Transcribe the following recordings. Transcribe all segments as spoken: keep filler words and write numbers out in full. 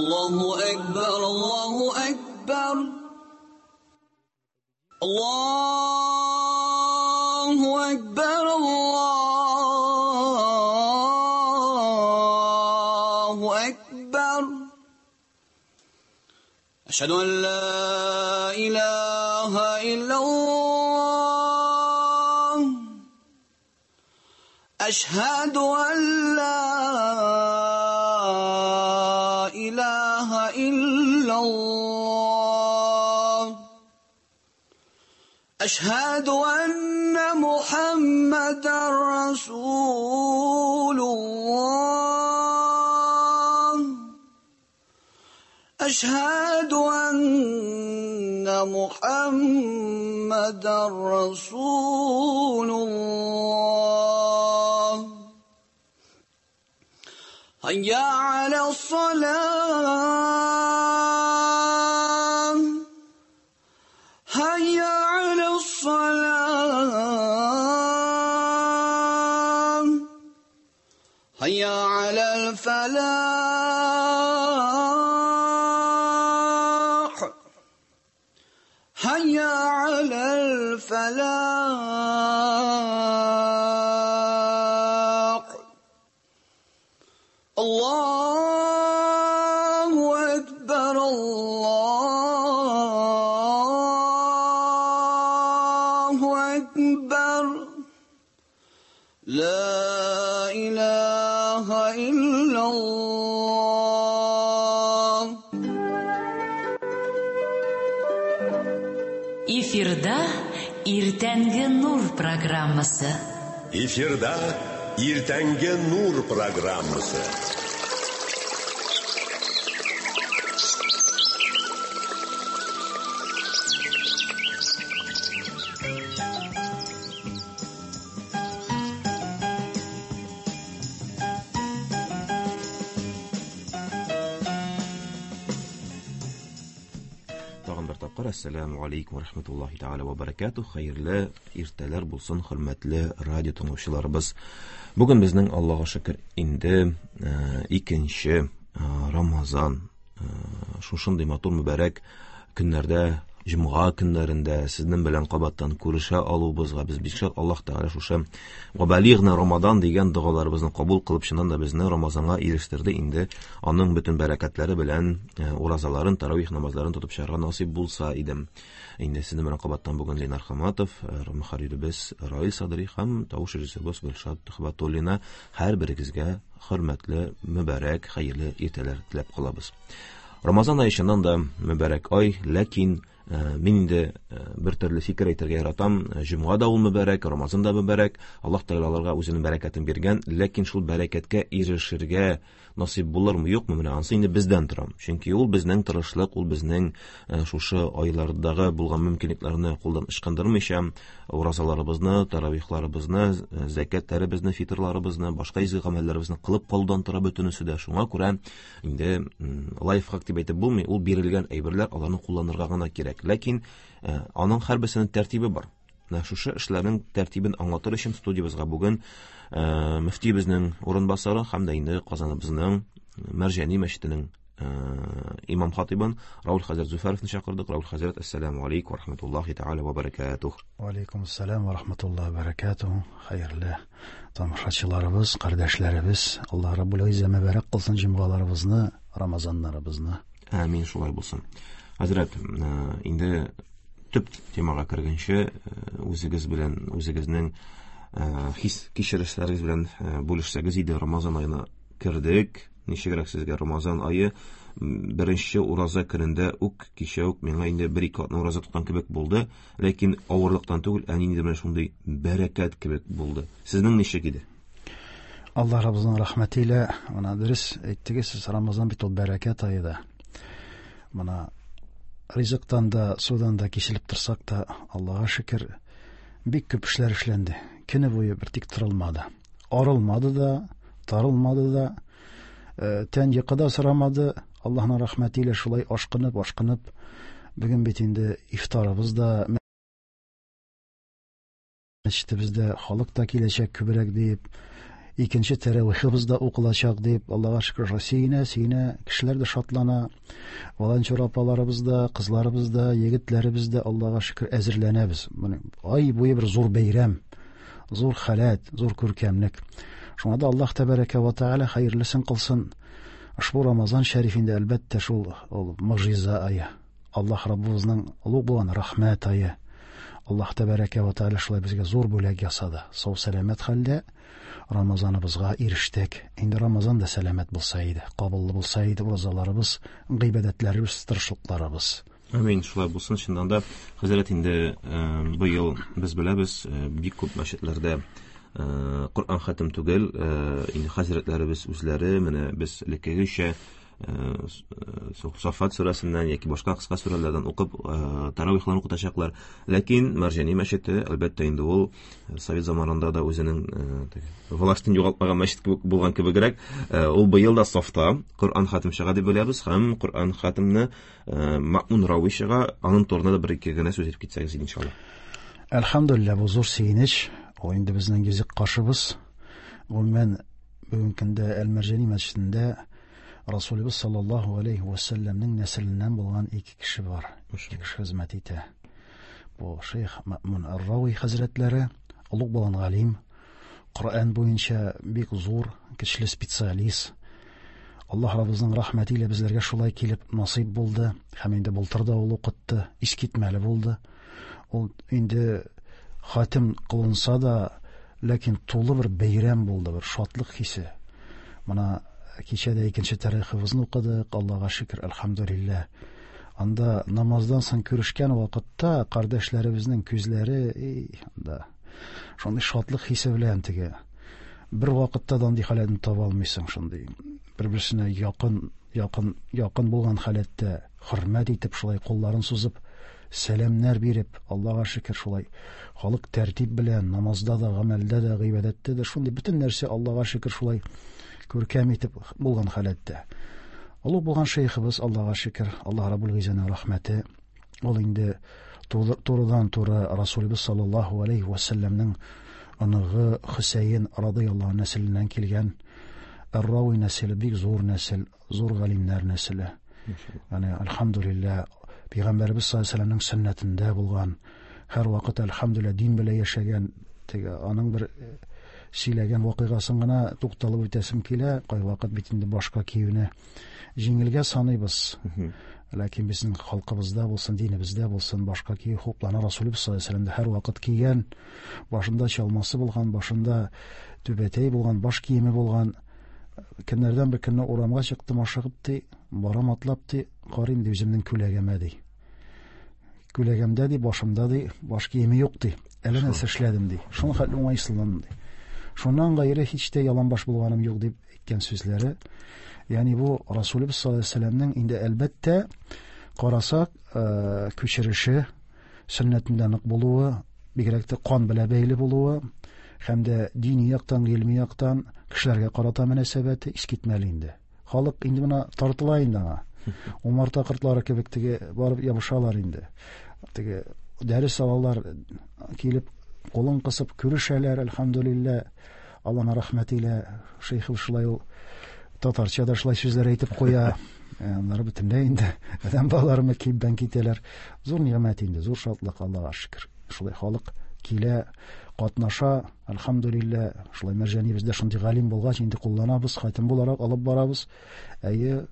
Allahu Ekber, Allahu Ekber. Allahu Ekber, Allahu Ekber. Eşhedü en la ilahe illallah. Eşhedü en la ilahe illallah. Eşhedü enne Muhammeden Resulullah. Eşhedü enne Muhammeden Resulullah. Hayya alas-salah. Hayya alas-salah. Hayya alal-falah. Hayya alal-falah. Allahu Ekber, Allahu Ekber. La ilahe illallah. Эфирда Иртәнге Нур программасы. Эфирда Иртәнге Нур программасы. Ассаламу алейкум ва рахматуллахи тааля ва баракатух. Хәерле иртәләр булсын, хөрмәтле радио тыңлаучыларыбыз. Бүген безнең Аллаһка шөкер инде икенче Рамазан. Шушындый матур мөбарәк көннәрдә, җомга көннәрендә сезнең белән кабаттан күрешә алуыбызга без бик шат. Аллаһ Тәгалә шушы «Вабалигъна Рамадан» дигән догаларыбызны кабул кылып, чыннан да безне Рамазанга ирештерде. Инде аның бөтен бәрәкәтләре белән уразаларын, таравих намазларын тотып чыгарга насыйп булса иде. Инде сезнең белән кабаттан бүген Ленар Хаматов, мөхәрриребез Раил Садри һәм тавыш режиссерыбыз Гөлшат Төхбәтуллина һәрберегезгә хөрмәтле, мөбарәк, хәерле иртәләр теләп калабыз. Рамазан ае чыннан да мөбарәк ай, ләкин мин инде бер төрле фикер әйтергә яратам. Җомга да ул мөбарәк, Рамазан да мөбарәк. Аллаһ Тәгалә аларга үзенең бәрәкәтен биргән, ләкин шул бәрәкәткә ирешергә насыйп булырмы, юкмы, менә ансы инде бездән тора. Чөнки ул безнең тырышлык, ул безнең шушы айлардагы булган мөмкинлекләрне кулдан ычкындырмыйча, уразаларыбызны, таравихларыбызны, зәкәтләребезне, фитрларыбызны, башка изге гамәлләребезне кылып калудан тора бөтенесе дә. Шуңа күрә инде лайфхак дип әйтеп булмый, ул бирелгән әйберләр, аларны кулланырга гына кирәк. Ләкин аның һәрберсенең тәртибе бар. Менә шушы эшләрнең тәртибен аңлатыр өчен студиябызга бүген мөфтиебезнең урынбасары һәм дә инде Казаныбызның Мәрҗани мәчетенең имам хатибын Раул хәзрәт Зөфәровны чакырдык. Раул хәзрәт, ассаламу алейкум ва рахматуллахи тааля ва баракатух. Ва алейкум ассалам ва рахматуллахи ва баракатух. Хәерле тамашачыларыбыз, кардәшләребез, Аллаһ Раббул Иззә мөбарәк кылсын җомгаларыбызны, Рамазаннарыбызны. Амин, шулай булсын. Хәзрәт, инде төп темага кергәнче, үзегез белән, үзегезнең хис кичерешләрегез белән бүлешсәгез иде. Рамазан аена кердек. Ничегрәк сезгә Рамазан ае? Беренче ураза көнендә үк, кичә үк миңа инде бер-ике атна ураза тоткан кебек булды, ләкин авырлыктан түгел, ә ниндидер менә шундый бәрәкәт кебек булды. Сезнең ничек иде? Аллаһ Раббыбызның рәхмәте илә, менә дөрес әйттегез, сез Рамазан бит ул бәрәкәт ае да. Менә ризыктан да, судан да киселеп торсак та, Аллаһка шөкер, бик күп эшләр эшләнде. Көне буе бер тик торылмады. Арылмады да, тарылмады да, тән йокы да сорамады. Аллаһның рәхмәте илә шулай ашкынып, ашкынып, бүген бит инде ифтарыбыз да, мәчетебездә халык та киләчәк күбрәк дип, Икенче тәравихыбыз да укылачак дип, Аллага шөкер, сөенә, сөенә, кешеләр дә шатлана. Волонтер апаларыбыз да, кызларыбыз да, егетләребез дә Аллага шөкер әзерләнәбез. Менә ай буе бер зур бәйрәм, зур халәт, зур күркәмлек. Шуңа да Аллаһ тәбәрәкә ва тәгалә хәерлесен кылсын. Ошбу Рамазан шәрифендә әлбәттә шул ул мөгъҗиза ае. Аллаһ Раббыбызның олуг булган рәхмәт ае. Аллаһ тәбәрәкә ва тәгалә шулай безгә зур бүләк ясады. Сау сәламәт хәлдә Рамазаныбызга ирештек. Инде Рамазан да сәламәт булса иде, кабуллы булса иде уразаларыбыз, гыйбадәтләребез, тырышлыкларыбыз. Амин, шулай булсын. Чыннан да, хәзрәт, инде быел без беләбез, бик күп мәчетләрдә Коръән хатим түгел, инде хәзрәтләребез үзләре менә без элеккегечә Сафат сүрәсеннән яки башка кыска сүрәләрдән укып таравихларын укытачаклар. Ләкин Мәрҗани мәчете, әлбәттә, инде ул совет заманында да үзенең властен югалтмаган мәчет кебек булган кебегрәк, ул быел да сафта Коръән хатим чыга дип беләбез һәм Коръән хатимне Мәэмүн Рауи чыга, аның турында да бер ике генә сүз әйтеп китсәгез иншалла. Әлхәмдүлилләһ, бу зур сөенеч. Ул инде безнең йөзек кашыбыз. Гомумән, бүгенге көндә Әл-Мәрҗани мәчетендә Расулыбыз саллаллаһу алейхи ва сәлләмнең нәселеннән булган ике кеше бар. Ике кеше хезмәт итә. Бу шейх Мәэмүн ар-Рауи хәзрәтләре, олуг булган галим, Коръән буенча бик зур, көчле специалист. Аллаһ Раббыбызның рәхмәте илә безләргә шулай килеп насыйп булды. Һәм инде былтыр да ул укытты, искитмәле булды. Ул инде хатим кылынса да, ләкин тулы бер бәйрәм булды, бер шатлык хисе. Мына кичә дә икенче тарихыбызны укыдык, Аллаһка шөкер, әлхәмдүлилләһ. Анда намаздан соң күрешкән вакытта кардәшләребезнең күзләре, эй, анда шундый шатлык хисе белән теге бер вакытта да андый халәтне таба алмыйсың, шундый бер-берсенә якын, якын, якын булган халәттә хөрмәт итеп шулай кулларын сузып сәламнәр биреп, Аллаһка шөкер, шулай халык тәртип белән намазда да, гамәлдә дә, гыйбадәттә дә шундый бөтен нәрсә Аллаһка шөкер шулай күркәм итеп булган халәттә. Олуг булган шейхыбыз, Аллаһка шөкер, Аллаһ Раббул Гыйззәнең рәхмәте, ул инде турыдан-туры Расулыбыз саллаллаһу алейхи ва сәлләмнең оныгы Хөсәен радыяллаһу нәселеннән килгән Ар-Рауи нәселе бик зур нәсел, зур галимнәр нәселе. Яни әлхәмдүлилләһ, Пәйгамбәребез саллаллаһу алейһи ва сәлләмнең сөннәтендә булган, һәр вакыт әлхәмдүлилләһ дин белән яшәгән, теге аның бер сөйләгән вакыйгасын гына тукталып үтәсем килә. Кайвакыт бит инде башка киюне җиңелгә саныйбыз. Ләкин безнең халкыбызда булсын, динебездә булсын, башка кию хуплана. Расулыбыз саллаллаһу алейһи ва сәлләм дә һәр вакыт кигән, башында чалмасы булган, башында түбәтәй булган, баш киеме булган. Көннәрдән бер көнне урамга чыктым ашыгып ди, барам атлап ди, карыйм ди үземнең күләгәмә ди. Күләгәмдә ди, башымда ди, баш киеме юк ди. Әллә нәрсә эшләдем ди. Шуның хәтле уңайсызландым ди. Шуннан гайре һич тә яланбаш булганым юк дип әйткән сүзләре. Ягъни бу Расулыбыз саллаллаһу алейһи ва сәлләмнең инде әлбәттә карасак, э, күчереше, сөннәтендә нык булуы, бигрәк тә кан белән бәйле булуы, һәм дә дини яктан, гыйльми яктан кешеләргә карата мөнәсәбәте искитмәле инде. Халык инде менә тартыла инде аңа. Умарта кортлары кебек теге барып ябышалар инде. Теге дәрес алалар, килеп кулын кысып күрешәләр, әлхәмдүлилләһ. Аллаһның рәхмәте илә шейх шулай ул татарча да шулай сүзләр әйтеп куя. Аннары бөтенләй инде адәм балалары кибдән китәләр. Зур ниғмәт инде, зур шатлык, Аллаһка шөкер. Шулай халык килә, катнаша, әлхәмдүлилләһ. Шулай Мәрҗанибездә шундый галим булгач, инде кулланабыз, хатим буларак алып барабыз. Әйе,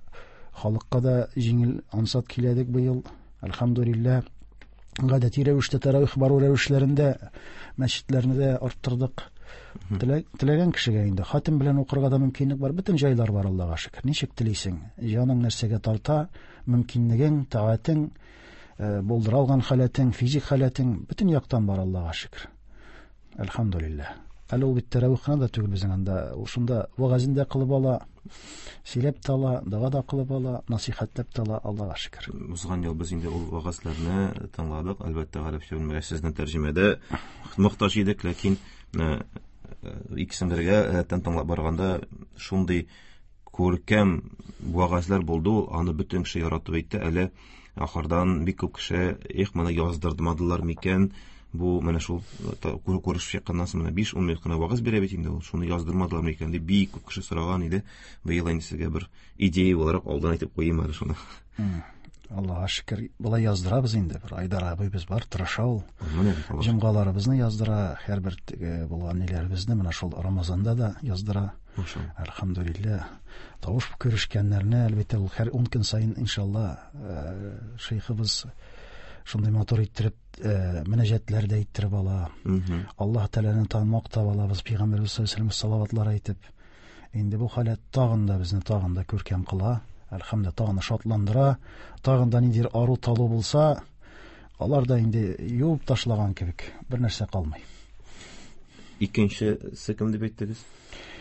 халыкка да җиңел, ансат киләдек быел, әлхәмдүлилләһ. Гадәти рәвештә таравих бару рәвешләрендә мәчетләрне дә арттырдык. Теләгән кешегә инде хатим белән укырга да мөмкинлек бар, бөтен җайлар бар, Аллаһка шөкер. Ничек телисең, җаның нәрсәгә тарта, мөмкинлегең, таатең, булдыра алган халәтең, физик халәтең, бөтен яктан бар, Аллаһка шөкер. Әлхәмдүлилләһ. Әле ул бит тәравих кына да түгел безнең анда, ул шунда вагазын да кылып ала, сөйләп тә ала, дога да кылып ала, насихатлап та ала, Аллаһка шөкер. Узган ел без инде ул вагазларны тыңладык, әлбәттә, гарәпчә белмәгәч сезнең тәрҗемәдә мохтаҗ идек, ләкин икесен бергә рәттән тыңлап барганда шундый күркәм вагазлар булды, ул аны бөтен кеше яратып әйтте. Әле ахырдан бик күп кеше, эх, моны яздырмадылар микән, Бу менә шул күрешеп чыкканнан соң менә биш-ун минут кына вагыз бирә бит инде ул. Шуны яздырмадылар микән дип бик күп кеше сораган иде. Быел инде сезгә бер идея буларак алдан әйтеп куйыйм әле шуны. Аллаһка шөкер, болай яздырабыз инде. Бер Айдар абыйбыз бар, тырыша ул. Җомгаларыбызны яздыра, һәрбер булган ниләребезне менә шул Рамазанда да яздыра. Әлхәмдүлилләһ. Тавыш күрешкәннәрне, әлбәттә, ул һәр ун көн саен иншалла шейхыбыз шундый матур иттереп мөнәҗәтләр дә иттереп ала. Аллаһ Тәгаләне танмак та алабыз, Пәйгамбәрбез саллаллаһу алейһи ва сәлләм салаватлар әйтеп. Инде бу халәт тагын да безне тагын да күркәм кыла. Әлхәмдүлилләһ, тагын да шатландыра. Тагын да ниндидер ару талу булса, алар да инде юып ташлаган кебек, бер нәрсә калмый. Икенчесе кем дип әйттегез?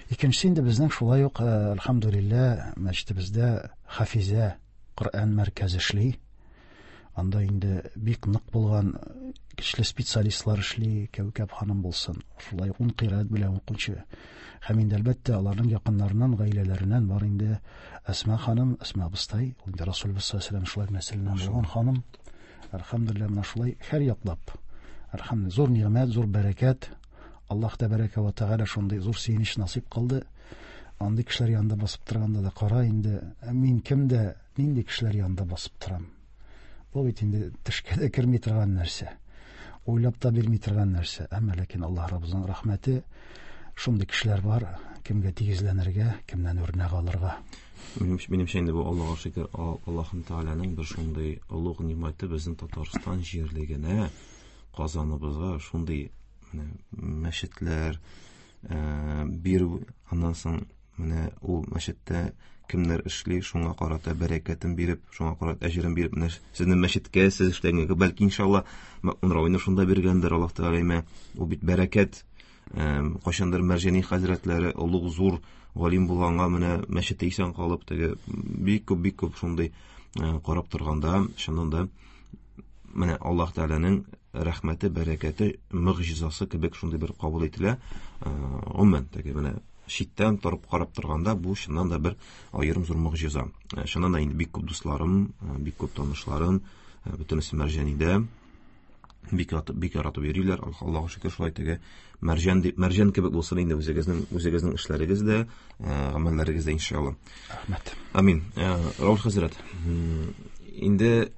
Икенчесе инде безнең шулай ук, әлхәмдүлилләһ, мәчетебездә Хафизә Коръән мәркәзе эшли. Анда инде бик нык булган көчле специалистлар эшли, Кәүкәб ханым булсын, шулай ук ун кыйраат белән укучы. Һәм инде әлбәттә аларның якыннарыннан, гаиләләреннән бар инде Әсма ханым, Әсма абыстай, ул инде Расулыбыз саллаллаһу алейһи ва сәлләм шулай нәселеннән булган ханым. Әлхәмдүлилләһ, менә шулай һәр яклап. Әлхәмдүлилләһ, зур нигъмәт, зур бәрәкәт. Аллаһ тәбәрәкә ва тәгалә шундый зур сөенеч насыйп кылды. Андый кешеләр янында басып торганда да кара инде, мин кемдә, нинди кешеләр янында басып торам? Бу бит инде төшкә дә керми торган нәрсә. Уйлап та бирми торган нәрсә. Әмма ләкин Аллаһ Раббыбызның рәхмәте, шундый кешеләр бар, кемгә тигезләнергә, кемнән үрнәк алырга. Минемчә инде бу Аллаһка шөкер, Аллаһ Тәгаләнең бер шундый олуг нимәте безнең Татарстан җирлегенә, Казаныбызга шундый менә мәчетләр, бирү, аннан соң менә ул мәчеттә кемнәр эшли, шуңа карата бәрәкәтен биреп, шуңа карата әҗерен биреп, менә сезнең мәчеткә, сез эшләгәнгә, бәлки иншалла Мәкмун Равилне шунда биргәндер Аллаһ Тәгалә, ул бит бәрәкәт. Кайчандыр Мәрҗани хәзрәтләре олуг зур галим булганга менә мәчеттә исән калып, теге бик күп, бик күп шундый карап торганда, чыннан да менә Аллаһ Тәгаләнең рәхмәте, бәрәкәте, мөгъҗизасы кебек шундый бер кабул ителә. Гомумән, теге менә читтән торып карап торганда бу чыннан да бер аерым зур мөгъҗиза. Чыннан да инде бик күп дусларым, бик күп танышларым, бөтенесе Мәрҗанидә бик яратып, бик яратып йөриләр. Аллаһка шөкер, шулай теге мәрҗән дип, мәрҗән кебек булсын инде үзегезнең, үзегезнең эшләрегез дә, гамәлләрегез дә иншалла. Рәхмәт. Амин. Раул хәзрәт, инде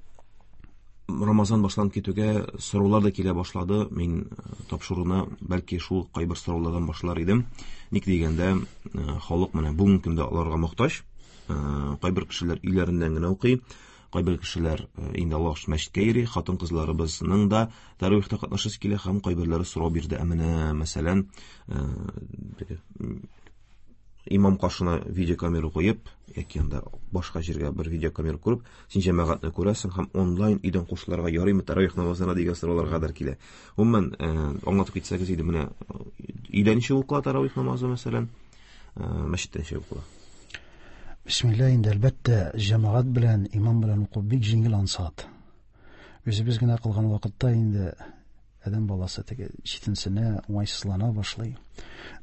Рамазан башланып китүгә сораулар да килә башлады. Мин тапшыруны бәлки шул кайбер сораулардан башлар идем. Ник дигәндә, халык менә бүгенге көндә аларга мохтаҗ. Кайбер кешеләр өйләреннән генә укый, кайбер кешеләр инде Аллаһ өчен мәчеткә йөри, хатын-кызларыбызның да тәравихта катнашасы килә һәм кайберләре сорау бирде. Ә менә, мәсәлән, теге имам каршына видеокамера куеп, яки анда башка җиргә бер видеокамера күреп, син җәмәгатьне күрәсең һәм онлайн өйдән кушылырга ярыймы тәравих намазына дигән сорауларга кадәр килә. Гомумән, аңлатып китсәгез иде, менә өйдә ничек укыла тәравих намазы, мәсәлән, мәчеттә ничек укыла? Бисмилла, инде әлбәттә җәмәгать белән, имам белән уку бик җиңел, ансат. Үзебез генә кылган вакытта инде адәм баласы теге читенсенә, уңайсызлана башлый.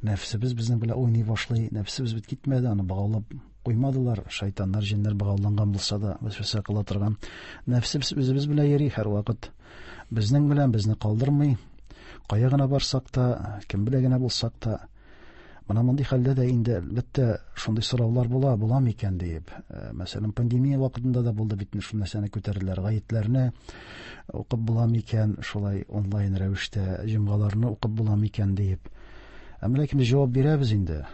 Нәфсебез безнең белән уйный башлый. Нәфсебез бит китмәде, аны богаулап куймадылар. Шайтаннар, җеннәр богауланган булса да, вәсвәсә кыла торган. Нәфсебез үзебез белән йөри һәрвакыт. Безнең белән безне калдырмый. Кая гына барсак та, кем белән генә булсак та, менә мондый хәлдә дә инде әлбәттә шундый сораулар була, була микән диеп. Э, мәсәлән, пандемия вакытында да булды бит шул нәрсәне күтәрделәр. Гаетләрне укып була микән, шулай онлайн рәвештә җомгаларны укып була микән диеп. Әмма ләкин без җавап бирәбез инде.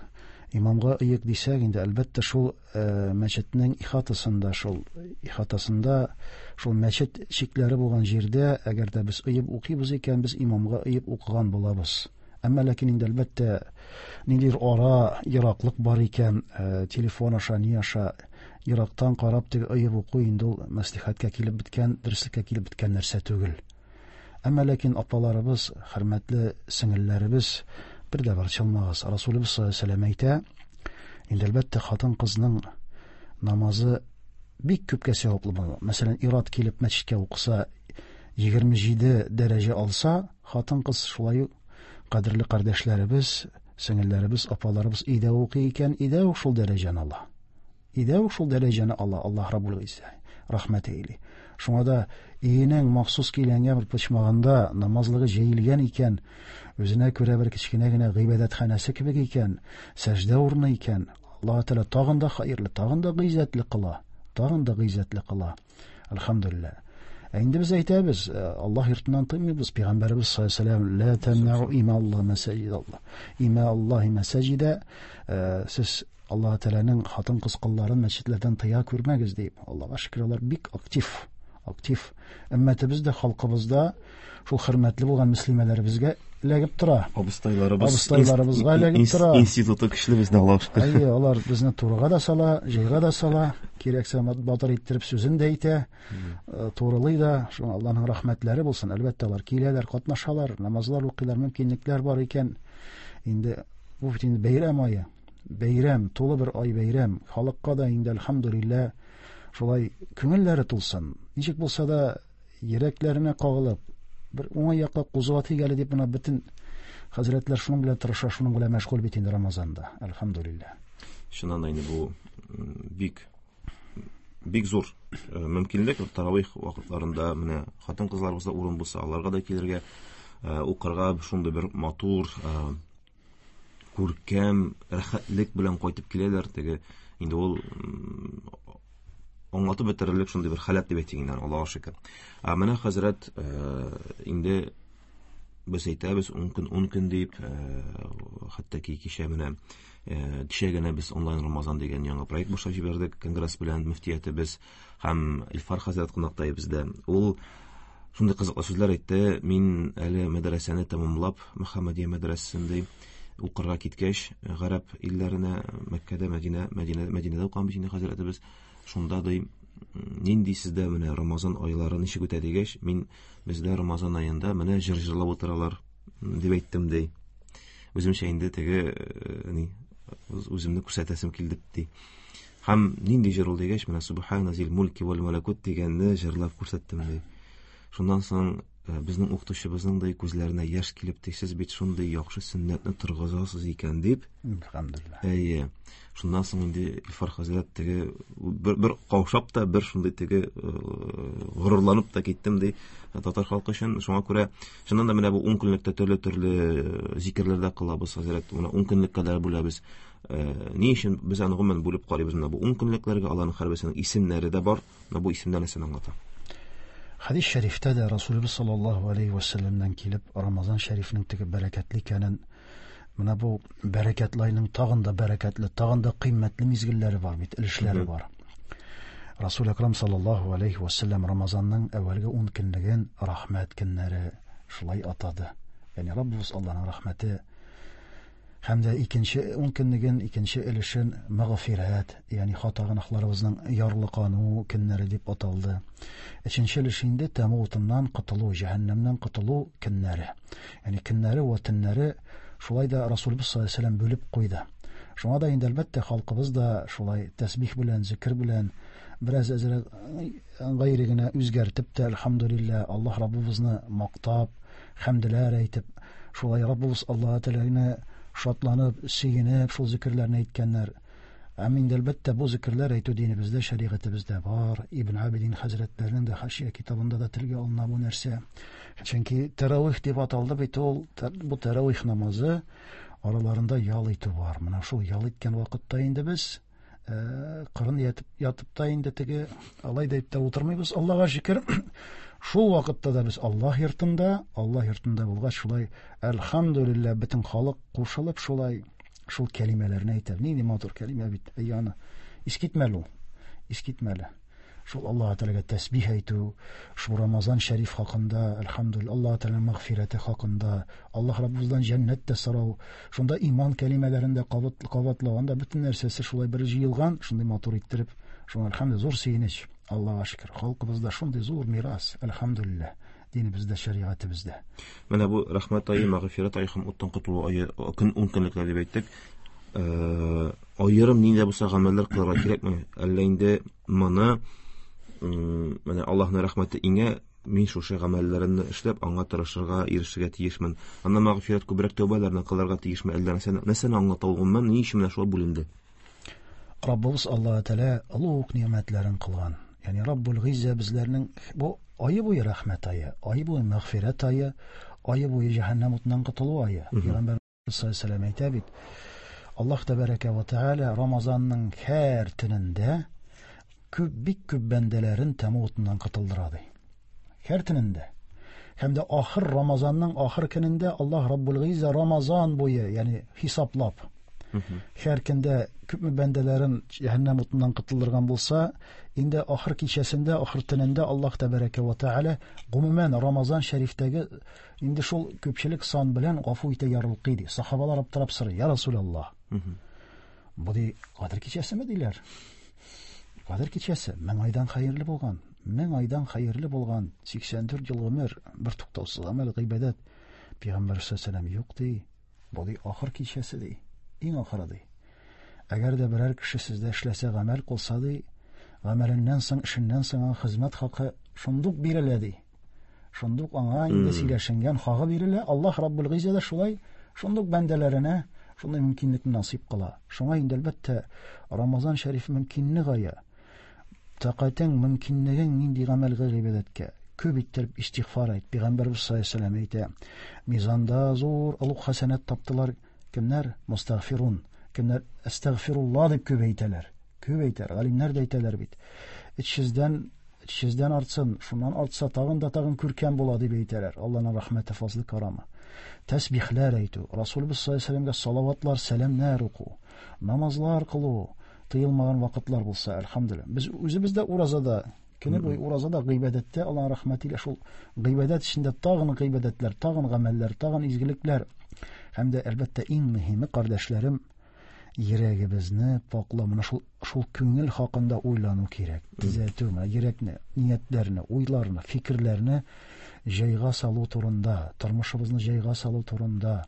Имамга ыек дисәк, инде әлбәттә шул, э, мәчетнең ихатасында, шул ихатасында, шул мәчет чикләре булган җирдә, әгәр дә без ыеп укыйбыз икән, без имамга ыеп укыган булабыз. Әмма ләкин инде әлбәттә ниндидер ара, ераклык бар икән, э, телефон аша, ни аша ерактан карап теге ыеп уку инде ул мәслихәткә килеп беткән, дөреслеккә килеп беткән нәрсә түгел. Әмма ләкин апаларыбыз, хөрмәтле сеңелләребез, бер дә борчылмагыз. Расулыбыз саллаллаһу алейһи ва сәлләм әйтә, инде әлбәттә хатын-кызның намазы бик күпкә саваплы була. Мәсәлән, ир-ат килеп мәчеткә укыса, егерме җиде дәрәҗә алса, хатын-кыз шулай ук кадерле кардәшләребез, сеңелләребез, апаларыбыз өйдә укый икән, өйдә үк шул дәрәҗәне ала. Өйдә үк шул дәрәҗәне ала Аллаһ Раббул Гыйззә. рәхмәт әйли. Шуңа да өенең махсус көйләнгән бер почмагында намазлыгы җәелгән икән, үзенә күрә бер кечкенә генә гыйбадәтханәсе кебек икән, сәҗдә урыны икән, Аллаһ Тәгалә тагын да хәерле, тагын да гыйззәтле кыла, тагын да гыйззәтле кыла. Әлхәмдүлилләһ. Ә инде без әйтәбез, Аллаһ йортыннан тыймыйбыз. Пәйгамбәребез саллаллаһу алейһи ва сәлләм: "Ла тамнау има Аллаһ мәсаҗид Аллаһ. Има Аллаһи мәсаҗида", сез Аллаһ Тәгаләнең хатын-кыз колларын мәчетләрдән тыя күрмәгез дип. Аллаһка шөкер, алар бик актив, актив. Өммәтебез дә, халкыбыз да шул хөрмәтле булган мөслимәләребезгә эләгеп тора. Абыстайларыбыз, абыстайларыбызга эләгеп тора. Институты көчле бездә, Аллаһка шөкер. Әйе, алар безне турыга да сала, җайга да сала, кирәксә батыр иттереп сүзен дә әйтә, турылый да. Шуңа Аллаһның рәхмәтләре булсын. Әлбәттә, алар киләләр, катнашалар, намазлар укыйлар, мөмкинлекләр бар икән. Инде бу бит инде бәйрәм ае. Бәйрәм, тулы бер ай бәйрәм. Халыкка да инде әлхәмдүлилләһ шулай күңелләре тулсын. Ничек булса да йөрәкләренә кагылып, бер уңай якка кузгатыйк әле дип, менә бөтен хәзрәтләр шуның белән тырыша, шуның белән мәшгуль бит инде Рамазанда. Әлхәмдүлилләһ. Чыннан да инде бу бик бик зур мөмкинлек. Таравих вакытларында менә хатын-кызларыбызда урын булса, аларга да килергә, укырга шундый бер матур, күркәм рәхәтлек белән кайтып киләләр. Теге инде ул аңлатып бетерерлек шундый бер халәт дип әйтик инде, Аллаһка шөкер. Ә менә хәзрәт, инде без әйтәбез ун көн, ун көн дип, хәтта ки кичә менә кичә генә без онлайн Рамазан дигән яңа проект башлап җибәрдек конгресс белән, мөфтиятебез һәм Илфар хәзрәт кунакта бездә. Ул шундый кызыклы сүзләр әйтте. Мин әле мәдрәсәне тәмамлап, Мөхәммәдия мәдрәсәсендә укырга киткәч, гарәп илләренә, Мәккәдә, Мәдинә, Мәдинә, Мәдинәдә укыган бит инде хәзрәтебез. Шунда ди, нинди сездә менә Рамазан айлары ничек үтә дигәч, мин бездә Рамазан аенда менә җыр җырлап утыралар дип әйттем ди. Үземчә инде теге ни, үземне күрсәтәсем килде ди. Һәм нинди җыр ул дигәч, менә Субхана зил мульки вал малакут дигәнне җырлап күрсәттем ди. Шуннан соң безнең укытучыбызның да күзләренә яшь килеп, сез бит шундый яхшы сөннәтне торгызасыз икән дип. Әлхәмдүлилләһ. Әйе. Шуннан соң инде Илфар хәзрәт теге бер, бер каушап та, бер шундый теге горурланып та киттем ди татар халкы өчен. Шуңа күрә чыннан да менә бу ун көнлектә төрле-төрле зикерләр дә кылабыз хәзрәт. Менә ун көнлеккә дә бүләбез. Ни өчен без аны гомумән бүлеп карыйбыз? Менә бу ун көнлекләргә аларның һәрберсенең исемнәре дә бар. Менә бу исемнәр нәрсәне аңлата? Хадис шәрифтә дә Расулыбыз саллаллаһу алейһи ва сәлләмнән килеп Рамазан шәрифнең теге бәрәкәтле икәнен, менә бу бәрәкәтле айның тагын да бәрәкәтле, тагын да кыйммәтле мизгелләре бар бит, өлешләре бар. Расул Әкрам саллаллаһу алейһи ва сәлләм Рамазанның әүвәлге ун көнлеген рәхмәт көннәре шулай атады. Ягъни Раббыбыз Аллаһның рәхмәте һәм дә икенче ун көнлеген, икенче өлешен мәгъфирәт, ягъни хата гөнаһларыбызның ярлыкану көннәре дип аталды. Өченче өлеше инде тәмуг утыннан котылу, җәһәннәмнән котылу көннәре. Ягъни көннәре вә төннәре шулай да Расулыбыз саллаллаһу алейһи ва сәлләм бүлеп куйды. Шуңа да инде әлбәттә халкыбыз да шулай тәсбих белән, зикр белән бераз әзрәк гайре генә үзгәртеп тә, әлхәмдүлилләһ, Аллаһ Раббыбызны мактап, хәмдләр әйтеп, шулай Раббыбыз Аллаһ Тәгаләне шатланып, сөенеп шул зикерләрне әйткәннәр. Әм инде әлбәттә бу зикерләр әйтү динебездә, шәригатебездә бар. Ибн Абидин хәзрәтләренең дә Хашия китабында да телгә алына бу нәрсә. Чөнки тәравих дип аталды бит ул, бу тәравих намазы араларында ял итү бар. Менә шул ял иткән вакытта инде без кырын ятып, ятып та инде теге алай да итеп утырмыйбыз. Аллаһка шөкер, шул вакытта да без Аллаһ йортында, Аллаһ йортында булгач, шулай әлхәмдүлилләһ бөтен халык кушылып шулай шул кәлимәләрне әйтә. Нинди матур кәлимә бит. Әй, аны искитмәле ул. Искитмәле. Шул Аллаһ Тәгаләгә тәсбих әйтү, шул Рамазан шәриф хакында, әлхәмдүлилләһ, Аллаһ Тәгаләнең мәгъфирәте хакында, Аллаһ Раббыбыздан җәннәт тә сорау, шунда иман кәлимәләрен дә кабатлау, анда бөтен нәрсәсе шулай бер җыелган, шундый матур иттереп, шуңа әлхәмдүлилләһ зур сөенеч. Аллаһка шөкер, халкыбызда шундый зур мирас, әлхәмдүлилләһ, динебездә, шәригатебездә. Менә бу рәхмәт ае, мәгъфирәт ае һәм уттан котылу ае, көн ун көнлекләр дип әйттек. Аерым нинди булса гамәлләр кылырга кирәкме? Әллә инде моны менә Аллаһның рәхмәте иңә, мин шушы гамәлләремне эшләп, аңа тырышырга, ирешергә тиешмен. Аннан мәгъфирәт күбрәк тәүбәләрне кылырга тиешме? Әллә нәрсәне, нәрсәне аңлата ул гомумән, ни өчен менә шулай бүленде? Раббыбыз Аллаһ Тәгалә олуг ни'мәтләрен кылган. Ягъни Раббул Гыйззә безләрнең бу ае буе рәхмәт ае, ае буе мәгъфирәт ае, ае буе җәһәннәм утыннан котылу ае. Пәйгамбәр саллаллаһу алейһи ва сәлләм әйтә бит, Аллаһ тәбәрәкә ва тәгалә Рамазанның һәр төнендә күп, бик күп бәндәләрен тәмуг утыннан котылдыра ди. Һәр төнендә. Һәм дә ахыр Рамазанның ахыр көнендә Аллаһ Раббул Гыйззә Рамазан буе, ягъни хисаплап, һәр көндә күпме бәндәләрен җәһәннәм утыннан котылдырган булса, инде ахыр кичәсендә, ахыр төнендә Аллаһ тәбәрәкә ва тәгалә гомумән Рамазан шәрифтәге инде шул күпчелек сан белән гафу итә, ярылкый ди. Сахабалар аптырап сорый: "Я Расулаллаһ, бу ди Кадер кичәсеме?" диләр. Кадер кичәсе мең айдан хәерле булган, мең айдан хәерле булган, сиксән дүрт ел гомер, бер туктаусыз гамәл, гыйбадәт. Пәйгамбәр саллаллаһу алейһи ва сәлләм: "Юк ди, бу ди ахыр кичәсе ди, иң ахыры ди. Әгәр дә берәр кеше сездә эшләсә, гамәл кылса ди, гамәленнән соң, эшеннән соң аңа хезмәт хакы шундук бирелә ди. Шундук аңа инде сөйләшенгән хакы бирелә. Аллаһ Раббул Гыйззә дә шулай шундук бәндәләренә шундый мөмкинлекне насыйп кыла. Шуңа инде әлбәттә Рамазан шәриф мөмкинлек ае. Тәкатең, мөмкинлегең нинди гамәлгә, гыйбадәткә күп иттереп истигъфар әйт. Пәйгамбәрбез саллаллаһу алейһи ва сәлләм әйтә: мизанда зур олуг хәсәнәт таптылар кемнәр? Мустагфирун. Кемнәр әстәгъфируллаһ дип күп әйтәләр. Күп әйтәләр. Галимнәр дә әйтәләр бит. Өч йөздән, өч йөздән артсын, шуннан артса тагын да тагын күркәм була дип әйтәләр. Аллаһның рәхмәте, фазлы, карамы. Тәсбихләр әйтү, Расулыбыз саллаллаһу алейһи ва сәлләмгә салаватлар, сәламнәр уку, намазлар кылу, тыелмаган вакытлар булса, әлхәмдүлилләһ. Без үзебез дә уразада, көне буе уразада, гыйбадәттә, Аллаһның рәхмәте илә шул гыйбадәт эчендә тагын гыйбадәтләр, тагын гамәлләр, тагын изгелекләр. Һәм дә әлбәттә иң мөһиме, кардәшләрем, йөрәгебезне паклау, менә шул, шул күңел хакында уйлану кирәк. Төзәтү, менә йөрәкне, ниятләрне, уйларны, фикерләрне җайга салу турында, тормышыбызны җайга салу турында,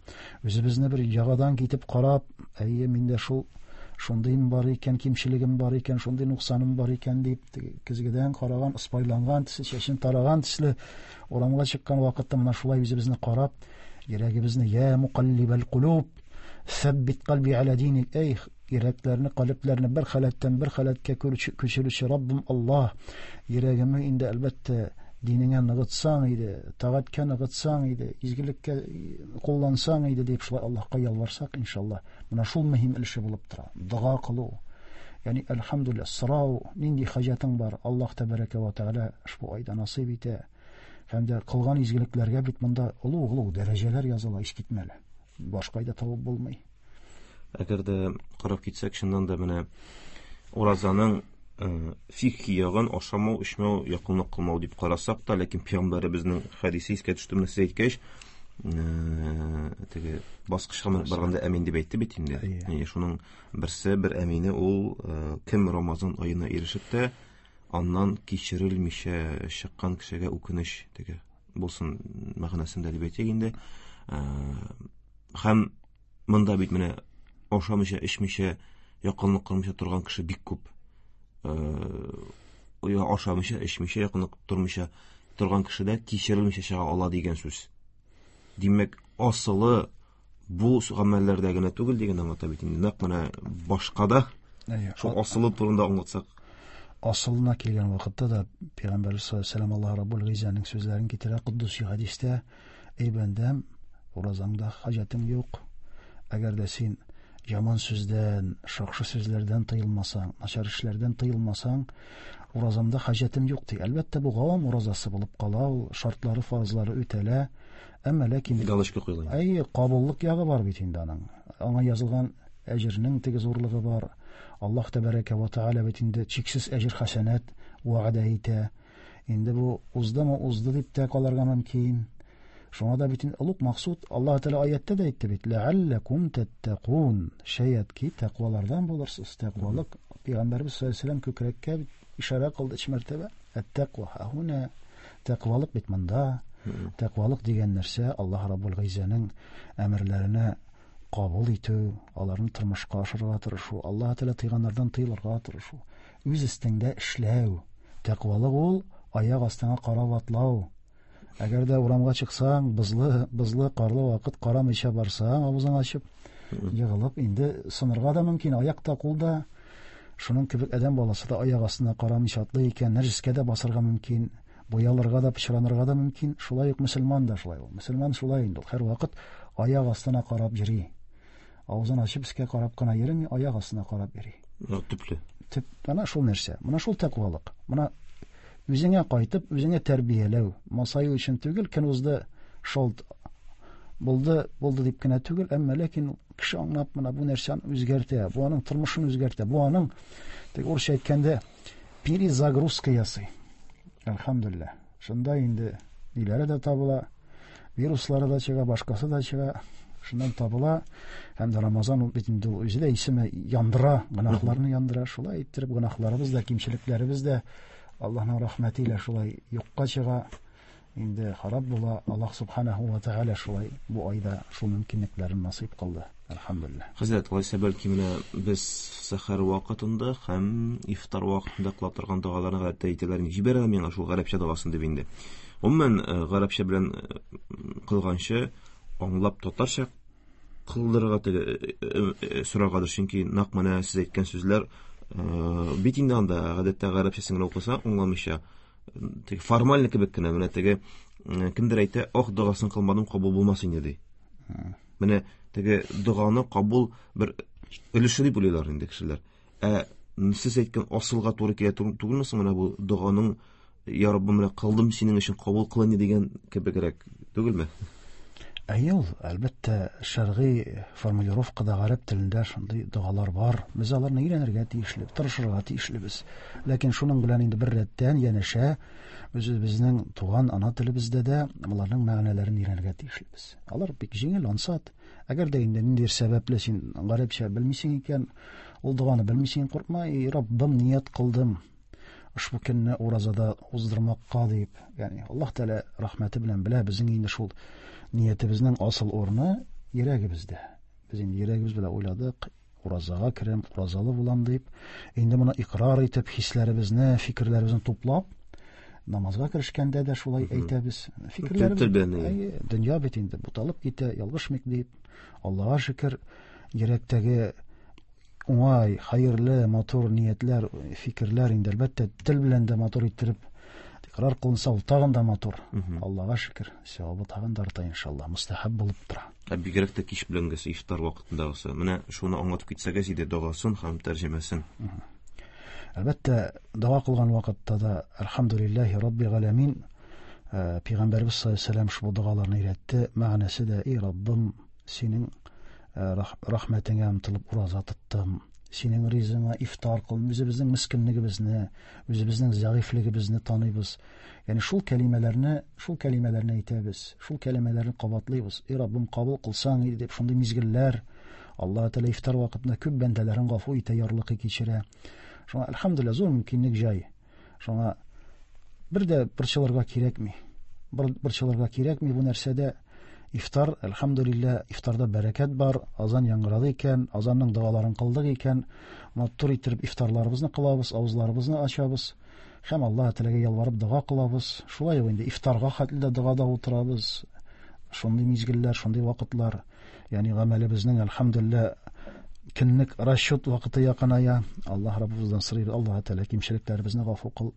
үзебезне бер ягадан китеп карап, әйе, миндә шул шундыйм бар икән, кимчелегем бар икән, шундый нуксаным бар икән дип, көзгедән караган, ыспайланган төсле, чәчен тараган төсле урамга чыккан вакытта менә шулай үзебезне карап, йөрәгебезне я мукаллибал кулуб, сәббит кальби аля диник, эй, йөрәкләрне, калебләрне бер халәттән бер халәткә күчерүче Раббым Аллаһ, йөрәгемне инде әлбәттә динеңә ныгытсаң иде, тагатькә ныгытсаң иде, изгелеккә куллансаң иде дип шулай Аллаһка ялварсак, иншаллаһ, менә шул мөһим өлеше булып тора. Дога кылу, ягъни әлхәмдүлилләһ, сорау, нинди хаҗәтең бар, Аллаһ тәбәрәкә ва тәгалә ошбу айда насыйп итә. Һәм дә кылган изгелекләргә бит монда олуг-олуг дәрәҗәләр языла, искитмәле. Башка айда табып булмый. Әгәр дә карап китсәк, чыннан да менә уразаның фикхи ягын ашамау, эчмәү, якынлык кылмау дип карасак та, ләкин пәйгамбәребезнең хәдисе искә төште, менә сез әйткәч, теге баскычка менеп барганда әмин дип әйтте бит инде. Әйе. Шуның берсе, бер әмине ул, кем Рамазан аена ирешеп тә, аннан кичерелмичә чыккан кешегә үкенеч теге булсын мәгънәсендә дип әйтик инде. Һәм монда бит менә ашамыйча, эчмичә, якынлык кылмыйча торган кеше бик күп. Э, ашамыйча, эчмичә, якынлык тормыйча торган кеше дә кичерелмичә чыга ала дигән сүз. Димәк, асылы бу гамәлләрдә генә түгел дигән аңлата бит инде. Нәкъ менә башка да шул асылы турында аңлатсак. Асылына килгән вакытта да Пәйгамбәрбез саллаллаһу алейһи ва сәлләм Аллаһ Раббул Гыйззәнең сүзләрен китерә Куддуси хәдистә: Эй бәндәм, уразаңда хаҗәтең юк. Әгәр дә син яман сүздән, шакшы сүзләрдән тыелмасаң, начар эшләрдән тыелмасаң, уразамда хаҗәтем юк ди. Әлбәттә, бу гавам уразасы булып кала, ул шартлары, фарызлары үтәлә. Әмма ләкин галочка куелган. Әй, кабуллык ягы бар бит инде аның. Аңа язылган әҗернең теге зурлыгы бар. Аллаһ тәбәрәкә ва тәгалә бит инде чиксез әҗер хәсәнәт вәгъдә итә. Инде бу уздымы, узды дип тә калырга мөмкин. Шуңа да бит инде олуг максут, Аллаһ Тәгалә аяттә дә әйтте бит: Ләалләкум таттакун. Шаят ки тәкъвалардан булырсыз. Тәкъвалык Пәйгамбәрбез саллаллаһу алейһи ва сәлләм күкрәккә бит ишарә кылды өч мәртәбә. Әт-тәкъва һуна. Тәкъвалык бит монда. Тәкъвалык дигән нәрсә Аллаһ Раббул Гыйззәнең әмерләренә кабул итү, аларны тормышка ашырырга тырышу, Аллаһ Тәгалә тыйганнардан тыелырга тырышу, үз өстеңдә эшләү. Тәкъвалык ул аяк астыңа карап атлау. Әгәр дә урамга чыксаң, бозлы, бозлы, карлы вакыт карамыйча барсаң, авызың ачып, егылып, инде сынырга да мөмкин, аяк та, кул да. Шуның кебек адәм баласы да аяк астына карамыйча атлый икән, нәҗескә дә басарга мөмкин, буялырга да, пычранырга да мөмкин. Шулай ук мөселман да шулай ул. Мөселман шулай инде ул. Һәрвакыт аяк астына карап йөри. Авызын ачып өскә карап кына йөрми, аяк астына карап йөри. Төпле. Төп, менә шул нәрсә. Менә шул тәкъвалык. Менә үзеңә кайтып, үзеңә тәрбияләү. Масаю өчен түгел, көн узды, шул булды, булды дип кенә түгел, әмма ләкин кеше аңлап менә бу нәрсәне үзгәртә, бу аның тормышын үзгәртә, бу аның, теге урысча әйткәндә, перезагрузка ясый. Әлхәмдүлилләһ. Шунда инде ниләре дә табыла, вируслары да чыга, башкасы да чыга, шуннан табыла. Һәм дә Рамазан ул бит инде үзе дә исеме яндыра, гөнаһларны яндыра. Шулай иттереп гөнаһларыбыз да, кимчелекләребез дә Аллаһның рәхмәте илә шулай юкка чыга. Инде харап була. Аллаһ субханаһу ва тааля шулай бу айда шул мөмкинлекләрен насыйп кылды. Әлхәмдүлилләһ. Хәзрәт, алайса бәлки менә без сәхәр вакытында һәм ифтар вакытында кыла торган догаларны гадәттә әйтәләр. Җибәрә миңа шул гарәпчә догасын дип инде. Гомумән, гарәпчә белән кылганчы аңлап татарча кылдырырга теге сорагадыр, чөнки нәкъ менә сез әйткән сүзләр бит инде анда гадәттә гарәпчәсен генә укыса аңламыйча, теге формаль кебек кенә, менә теге кемдер әйтә, ох, догасын кылмадым, кабул булмас инде ди. Менә теге доганы кабул бер өлеше дип уйлыйлар инде кешеләр. Ә сез әйткән асылга туры килә түгелме соң менә бу доганың, я Раббым, менә кылдым синең өчен, кабул кыл инде дигән кебегрәк түгелме? Әйе, ул, әлбәттә, шәргый формулировкада гарәп телендә шундый догалар бар. Без аларны өйрәнергә тиешле, тырышырга тиешлебез. Ләкин шуның белән инде бер рәттән янәшә без үзебезнең туган ана телебездә дә аларның мәгънәләрен өйрәнергә тиешлебез. Алар бик җиңел, ансат. Әгәр дә инде ниндидер сәбәпле син гарәпчә белмисең икән, ул доганы белмисең, куркма, эй, Раббым, ният кылдым ошбу көнне уразада уздырмакка дип. Ягъни Аллаһ Тәгалә рәхмәте белән белә, безнең инде шул ниятебезнең асыл урыны йөрәгебездә. Без инде йөрәгебез белән уйладык, уразага керәм, уразалы булам дип. Инде моны икрар итеп, хисләребезне, фикерләребезне туплап, намазга керешкәндә дә шулай әйтәбез. Фикерләребез, әйе, дөнья бит инде буталып китә, ялгышмыйк дип. Аллаһка шөкер, йөрәктәге уңай, хәерле, матур ниятләр, фикерләр инде әлбәттә тел белән дә матур иттереп икрар кылынса, ул тагын да матур. Аллаһка шөкер, савабы тагын да арта иншалла, мустахаб булып тора. Ә бигрәк тә кич беләнгесе ифтар вакытындагысы. Менә шуны аңлатып китсәгез иде, догасын һәм тәрҗемәсен. Әлбәттә, дога кылган вакытта да әлхәмдүлилләһи раббил галәмин, Пәйгамбәрбез саллаллаһу алейһи ва сәлләм шул догаларны өйрәтте. Мәгънәсе дә, эй Раббым, синең рәхмәтеңә омтылып ураза тоттым, синең ризыңа ифтар кылдым. Үзебезнең мискинлегебезне, үзебезнең зәгыйфьлегебезне таныйбыз. Ягъни шул кәлимәләрне, шул кәлимәләрне әйтәбез, шул кәлимәләрне кабатлыйбыз. Эй Раббым, кабул кылсаң иде дип, шундый мизгелләр Аллаһ Тәгалә ифтар вакытында күп бәндәләрен гафу итә, ярлыкый кичерә. Шуңа әлхәмдүлилләһ зур мөмкинлек җай. Шуңа бер дә борчылырга кирәкми. Борчылырга кирәкми бу нәрсәдә. Ифтар, әлхәмдүлилләһ, ифтарда бәрәкәт бар, азан яңгырады икән, азанның догаларын кылдык икән, матур иттереп ифтарларыбызны кылабыз, авызларыбызны ачабыз һәм Аллаһ Тәгаләгә ялварып дога кылабыз. Шулай ук инде ифтарга хәтле дә догада утырабыз. Шундый мизгелләр, шундый вакытлар, ягъни гамәлебезнең әлхәмдүлилләһ көнлек расчет вакыты якыная. Аллаһ Раббыбыздан сорыйбыз, Аллаһ Тәгалә кимчелекләребезне гафу кыл.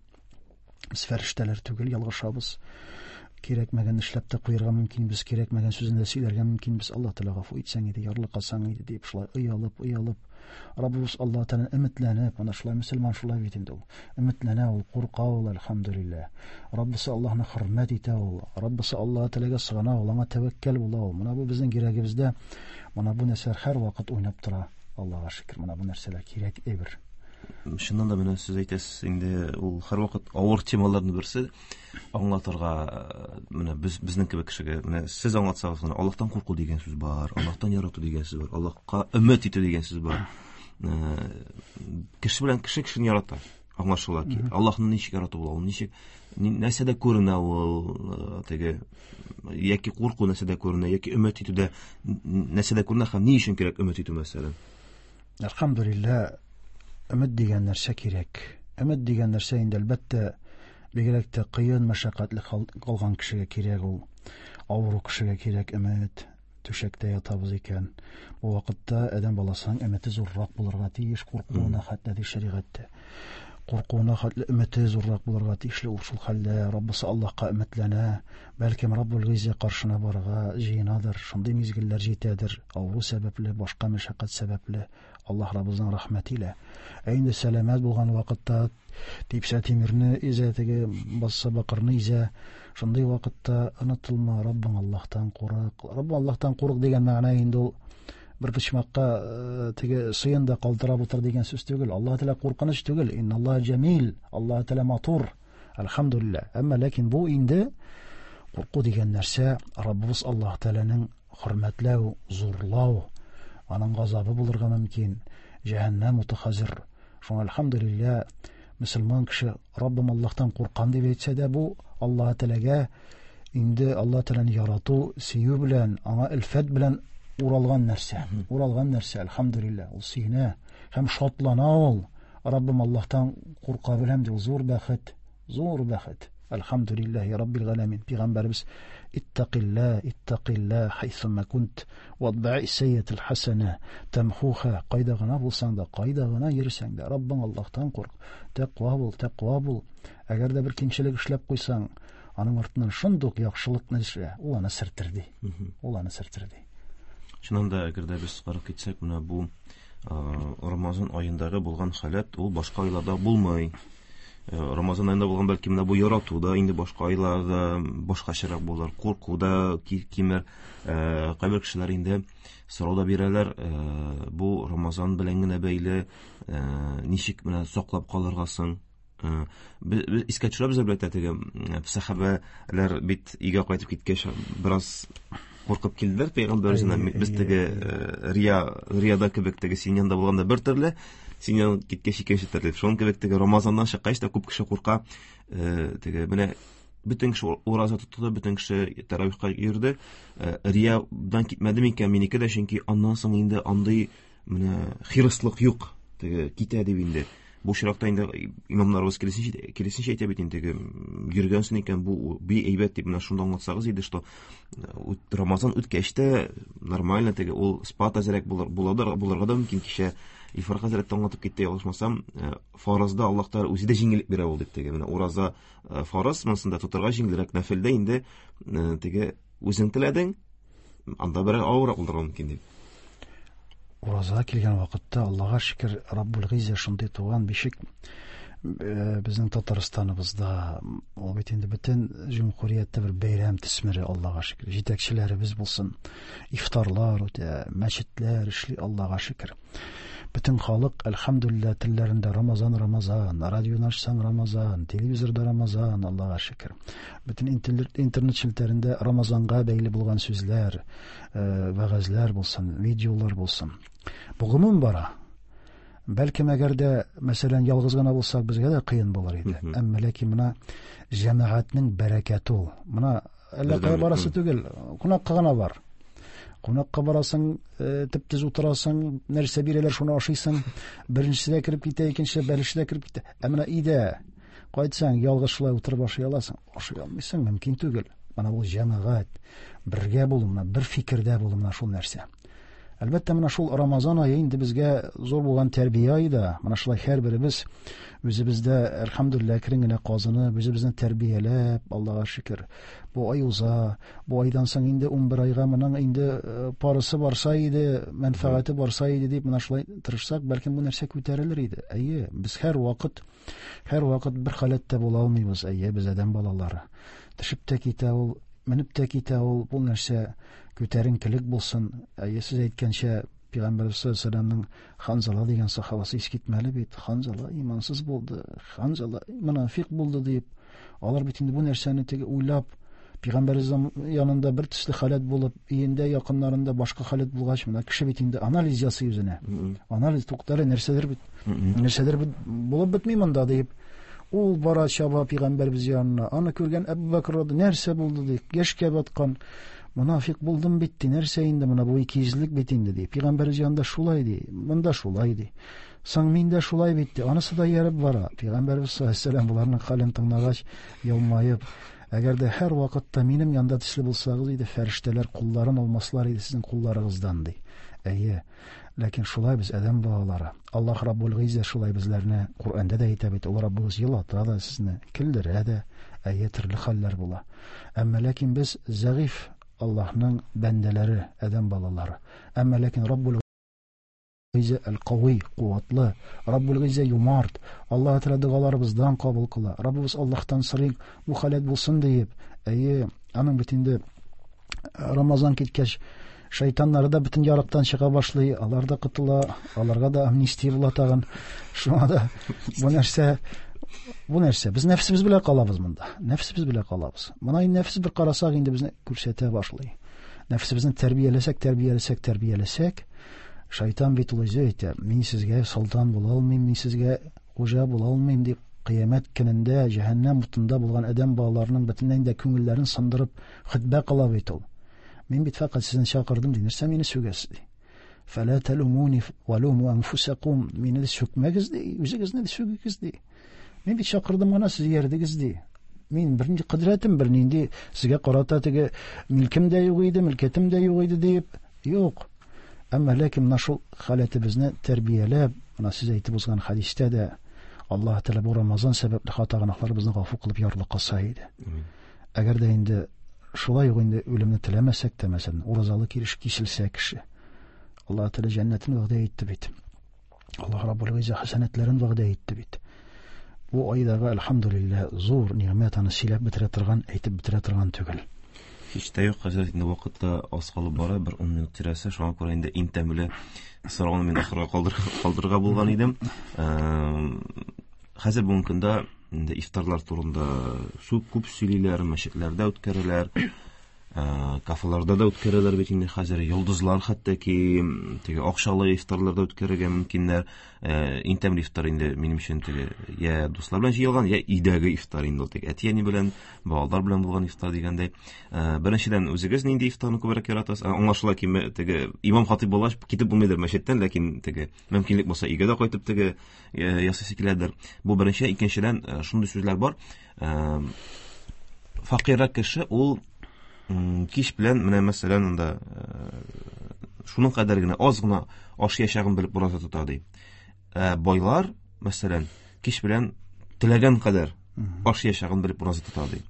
Без фәрештәләр түгел, ялгышабыз. Кирәкмәгән эшләп тә куярга мөмкинбез, кирәкмәгән сүзен дә сөйләргә мөмкинбез. Аллаһ Тәгалә гафу итсәң иде, ярлыкасаң иде дип шулай оялып, оялып, Раббыбыз Аллаһ Тәгаләдән өметләнеп, ана шулай мөселман шулай бит инде ул. Өметләнә ул, курка ул, әлхәмдүлилләһ. Раббысы Аллаһны хөрмәт итә ул, Раббысы Аллаһ Тәгаләгә сыгына ул, аңа тәвәккәл була ул. Менә бу безнең йөрәгебездә, менә бу нәрсәләр һәрвакыт уйнап тора. Аллаһка шөкер, менә бу нәрсәләр кирәк әйбер. Чыннан да менә сез әйтәсез инде, ул һәрвакыт авыр темаларның берсе аңлатырга, менә без, безнең кебек кешегә, менә сез аңлатсагыз гына, Аллаһтан курку дигән сүз бар, Аллаһтан ярату дигән сүз бар, Аллаһка өмет итү дигән сүз бар. Кеше белән кеше кешене ярата, аңлашыла ки. Аллаһны ничек ярату була, ул ничек, нәрсәдә күренә ул, теге, яки курку нәрсәдә күренә, яки өмет итүдә нәрсәдә күренә һәм ни өчен кирәк өмет итү мәсәлән? Әлхәмдүлилләһ, өмет дигән нәрсә кирәк. Өмет дигән нәрсә инде әлбәттә бигрәк тә кыен, мәшәкатьле калган кешегә кирәк ул. Авыру кешегә кирәк өмет. түшәктә ятабыз икән, бу вакытта адәм баласының өмете зуррак булырга тиеш, куркуына хәтле ди шәригатьтә. Куркуына хәтле өмете зуррак булырга тиешле. Ул шул хәлдә Раббысы Аллаһка өметләнә, бәлкем Раббул Гыйззә каршына барырга җыенадыр, шундый мизгелләр җитәдер, авыру сәбәпле, башка мәшәкать сәбәпле, Аллаһ Раббыбызның рәхмәте илә. Ә инде сәламәт булган вакытта типсә тимерне изә, теге басса бакырны изә, шундый вакытта онытылма, Раббың Аллаһтан курык. Раббың Аллаһтан курык дигән мәгънә инде ул бер почмакка теге сыен да калтырап утыр дигән сүз түгел. Аллаһ Тәгалә куркыныч түгел. Инналлаһ җәмил, Аллаһ Тәгалә матур. Әлхәмдүлилләһ. Әмма ләкин бу инде курку дигән нәрсә Раббыбыз Аллаһ Тәгаләнең хөрмәтләү, зурлау, аның газабы булырга мөмкин. Җәһәннәм уты хәзер. Шуңа әлхәмдүлилләһ, мөселман кеше Раббым Аллаһтан куркам дип әйтсә дә, бу Аллаһ Тәгаләгә инде Аллаһ Тәгаләне ярату, сөю белән, аңа өлфәт белән уралган нәрсә. Уралган нәрсә, әлхәмдүлилләһ. Ул сөенә һәм шатлана ул. Раббым Аллаһтан курка беләм ди, ул зур бәхет, зур бәхет. Әлхәмдүлилләһи раббил галәмин. Пәйгамбәребез иттакилла, иттакилла хайсума кунт ватба'i сайятил хасана тамхуха. Кайда гына булсаң да, кайда гына йөрсәң дә, Раббың Аллаһтан курк. Тәкъва бул, тәкъва бул. Әгәр дә бер кимчелек эшләп куйсаң, аның артыннан шундук яхшылыкны эшлә. Ул аны сертер ди. Ул аны сертер ди. Чыннан да, әгәр дә без карап китсәк, менә бу Рамазан аендагы булган халәт ул башка айларда булмый. Рамазан аенда булган бәлки менә бу ярату да инде башка айларда башкачарак булыр, курку да кимер. Кайбер кешеләр инде сорау да бирәләр, бу Рамазан белән генә бәйле, ничек менә саклап калырга соң? Без искә төшерәбез әлбәттә, теге сәхабәләр бит өйгә кайтып киткәч бераз куркып килделәр пәйгамбәр үзенә. Без теге рия, рияда кебек теге син янында булганда бер төрле, син янына киткәч икенче төрле. Шуның кебек теге Рамазаннан чыккач та күп кеше курка, теге менә бөтен кеше ураза тотты, бөтен кеше тәравихка йөрде. Риядан китмәде микән минеке дә, чөнки аннан соң инде андый менә хирыслык юк, теге китә дип инде. Бу очракта инде имамнарыбыз киресенчә, киресенчә әйтә бит инде, теге йөргәнсең икән, бу би әйбәт дип. Менә шунда аңлатсагыз иде, что Рамазан үткәч тә нормально теге ул спат әзрәк булыр, буладыр, булырга да мөмкин. Кичә Илфар хәзрәт тә аңлатып китте, ялгышмасам, фарызда Аллаһ Тәгалә үзе дә җиңеллек бирә ул дип теге. Менә ураза фарыз, монсында тотарга җиңелрәк, нәфилдә инде теге үзең теләдең, анда бераз авыррак булырга мөмкин дип. Ураза килгән вакытта Аллаһка шөкер, Раббул Гыйззә шундый туган бишек безнең Татарстаныбызда, ул бит инде бөтен җөмһүрияттә бер бәйрәм төсмере, Аллаһка шөкер. Җитәкчеләребез булсын, ифтарлар үтә, мәчетләр эшли, Аллаһка шөкер. Бөтен халык, әлхәмдүлилләһ, телләрендә Рамазан, Рамазан, радионы ачсаң Рамазан, телевизорда Рамазан, Аллаһка шөкер. Бөтен интернет челтәрендә Рамазанга бәйле булган сүзләр, вәгазьләр булсын, видеолар булсын. Бу гомум бара. Бәлкем әгәр дә, мәсәлән, ялгыз гына булсак, безгә дә кыен булыр иде. Әмма ләкин менә җәмәгатьнең бәрәкәте ул. Менә әллә кая барасы түгел, кунакка гына бар. Кунакка барасың, төп-төз утырасың, нәрсә бирәләр, шуны ашыйсың. Беренчесе дә кереп китә, икенчесе бәлеше дә кереп китә. Ә менә өйдә кайтсаң, ялгыз шулай утырып ашый аласың. Ашый алмыйсың, мөмкин түгел. Менә бу җәмәгать, бергә булу, менә бер фикердә булу, менә шул нәрсә. Әлбәттә, менә шул Рамазан ае инде безгә зур булган тәрбия ае да. Менә шулай һәрберебез үзебездә, әлхәмдүлилләһ, әкрен генә казынып, үзебезне тәрбияләп, Аллаһка шөкер. Бу ай уза, бу айдан соң инде ун бер айга моның инде парысы барса иде, мәнфәгате барса иде дип менә шулай тырышсак, бәлкем бу нәрсә күтәрелер иде. Әйе, без һәр вакыт, һәр вакыт бер халәттә була алмыйбыз. Әйе, без адәм балалары. Төшеп тә китә ул, менеп тә китә ул, бу нәрсә күтәренкелек булсын. Әйе, сез әйткәнчә, Пәйгамбәрбез саллаллаһу алейһи ва сәлләмнең Ханзала дигән сахабасы искитмәле бит. Ханзала имансыз булды, Ханзала монафиқ булды дип. Алар бит инде бу нәрсәне теге уйлап, Пәйгамбәрбез янында бер төсле халәт булып, өендә якыннарында башка халәт булгач, менә кеше бит инде анализ ясый үзенә. Анализ туктары нәрсәдер бит, нәрсәдер бит булып бетми монда дип. Ул бара чаба Пәйгамбәрбез янына. Аны күргән Әбу Бәкр рады, нәрсә булды ди, яшькә баткан монафиқ булдым бит ди, нәрсә инде менә бу икейөзлелек бит инде ди. Пәйгамбәрбез янында шулай ди, монда шулай ди. Соң мин дә шулай бит ди. Анысы да ярып бара. Пәйгамбәрбез саллаллаһу алейһи ва сәлләм буларның хәлен тыңлагач, елмаеп, Әгәр дә һәр вакытта минем янда төсле булсагыз иде, фәрештәләр кулларын алмаслар иде сезнең кулларыгыздан, ди. Әйе, ләкин шулай без адәм балалары. Аллаһ Раббул Гыйззә шулай безләрне Коръәндә дә әйтә бит, ул Раббыбыз елата да сезне, көлдерә дә, әйе, төрле хәлләр була. Әмма ләкин без зәгыйфь Аллаһның бәндәләре, адәм балалары. Әмма ләкин Раббул Гыйззә әл-Кави, куатлы, Раббул Гыйззә юмарт. Аллаһ Тәгалә догаларыбыздан кабул кыла. Раббыбыз Аллаһтан сорыйк, бу халәт булсын диеп. Әйе, аның бит инде Рамазан киткәч, шайтаннары да бөтен ярыктан чыга башлый, алар да котыла, аларга да амнистия була тагын. Шуңа да бу нәрсә, бу нәрсә, без нәфсебез белән калабыз монда. Нәфсебез белән калабыз. Моны инде нәфс бер карасак инде безне күрсәтә башлый. Нәфсебезне тәрбияләсәк, тәрбияләсәк, тәрбияләсәк, шайтан бит ул үзе әйтә, мин сезгә солтан була алмыйм, мин сезгә хуҗа була алмыйм дип, кыямәт көнендә җәһәннәм утында булган адәм балаларының бөтенләй дә күңелләрен сындырып хөтбә кыла бит ул. Мин бит фәкать сезне чакырдым ди, нәрсә мине сүгәсез ди. Фәлә тәлумуни валуму анфусакум, мине дә сүкмәгез ди, үзегезне дә сүгегез ди. Мин бит чакырдым гына, сез иярдегез ди. Мин бернинди кодрәтем, бернинди сезгә карата теге милкем дә юк иде, милкәтем дә юк иде дип, юк. Әмма ләкин менә шул халәтебезне тәрбияләп, менә сез әйтеп узган хәдистә дә Аллаһ Тәгалә бу Рамазан сәбәпле хата гөнаһларыбызны гафу кылып ярлыкаса иде. Әгәр дә инде шулай ук инде үлемне теләмәсәк тә, мәсәлән, уразалы килеш киселсә кеше, Аллаһ Тәгалә җәннәтен вәгъдә итте бит. Аллаһ Раббул Гыйззә хәсәнәтләрен вәгъдә итте бит. Бу айдагы әлхәмдүлилләһ зур ниғмәт, аны сөйләп бетерә торган, әйтеп бетерә торган түгел. Һич тә юк, хәзер инде вакытта аз калып бара, бер ун минут тирәсе, шуңа күрә инде иң тәмле сорауны мин ахырга калдыр-, калдырырга булган идем. Эм, хәзер бүгенге көндә инде ифтарлар турында сүп күп сөйлиләр, мәчетләрдә үткәрәләр, э, кафеларда да үткәрәләр бит инде хәзер, йолдызлар хәтта ки теге акчалы ифтарларда үткәрергә мөмкиннәр. Э, иң тәмле ифтар инде минем өчен теге я дуслар белән җыелган, я өйдәге ифтар инде ул, теге әти-әни белән, балалар белән булган ифтар дигәндәй. Э, беренчедән, үзегез нинди ифтарны күбрәк яратасыз? Э, аңлашыла ки, ме-, теге имам хатип булгач китеп булмыйдыр мәчеттән, ләкин теге мөмкинлек булса өйгә дә кайтып теге, э, ясыйсы киләдер. Бу беренче. Икенчедән, э, шундый сүзләр бар. Э, факиррәк кеше ул, м, кич белән менә мәсәлән анда, э, шуның кадәр генә аз гына аш яшәгән белеп ураза тота ди. Ә байлар, мәсәлән, кич белән теләгән кадәр аш яшәгән белеп ураза тота ди.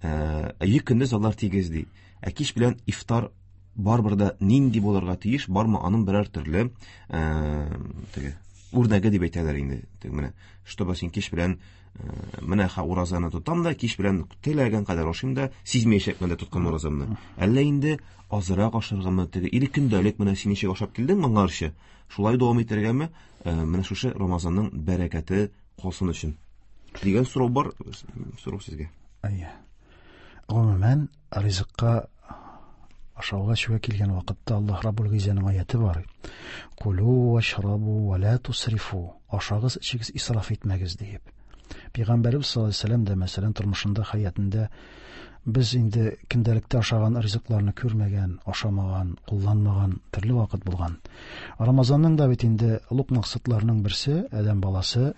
Ә, ике көндез алар тигез ди. Ә кич белән ифтар барыбер дә нинди булырга тиеш, бармы аның берәр төрле, ә, теге үрнәге дип әйтәләр инде. Теге менә, чтобы син кич белән, э, менә ха уразаны тотам да, кич белән теләгән кадәр ашыйм да, сизмәячәкмен дә тоткан уразамны. Әллә инде азрак ашаргамы, теге или көндәлек менә син ничек ашап килдең моңарчы, шулай дәвам итәргәме, э, менә шушы Рамазанның бәрәкәте калсын өчен дигән сорау бар, сорау сезгә. Әйе. Гомумән, ризыкка ашауга эчүгә килгән вакытта Аллаһ Раббул Гыйззәнең аяты бар. Кулу вашрабу ва ла тусрифу. Ашагыз, эчегез, исраф итмәгез диеп. Пәйгамбәребез саллаллаһу алейһи ва сәлләм дә, мәсәлән, тормышында, хәятында без инде көндәлектә ашаган ризыкларны күрмәгән, ашамаган, кулланмаган төрле вакыт булган. Рамазанның да бит инде олуг максатларының берсе, адәм баласы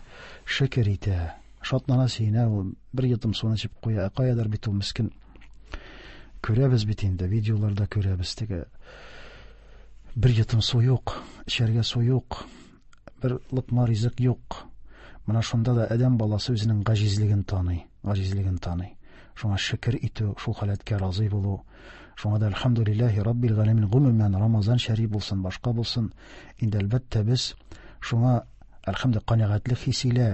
шөкер итә, шатлана, сөенә, ул бер йотым суны эчеп куя, каядыр бит ул мискин. Күрәбез бит инде, видеоларда күрәбез, теге бер йотым су юк, эчәргә су юк, бер лыкма ризык юк. Менә шунда да адәм баласы үзенең гаҗизлеген таный, гаҗизлеген таный. Шуңа шөкер итү, шул халәткә разый булу. Шуңа да әлхәмдүлилләһи раббил галәмин, гомумән Рамазан шәриф булсын, башка булсын, инде әлбәттә без шуңа әлхәмдүлилләһ канәгатьлек хисе илә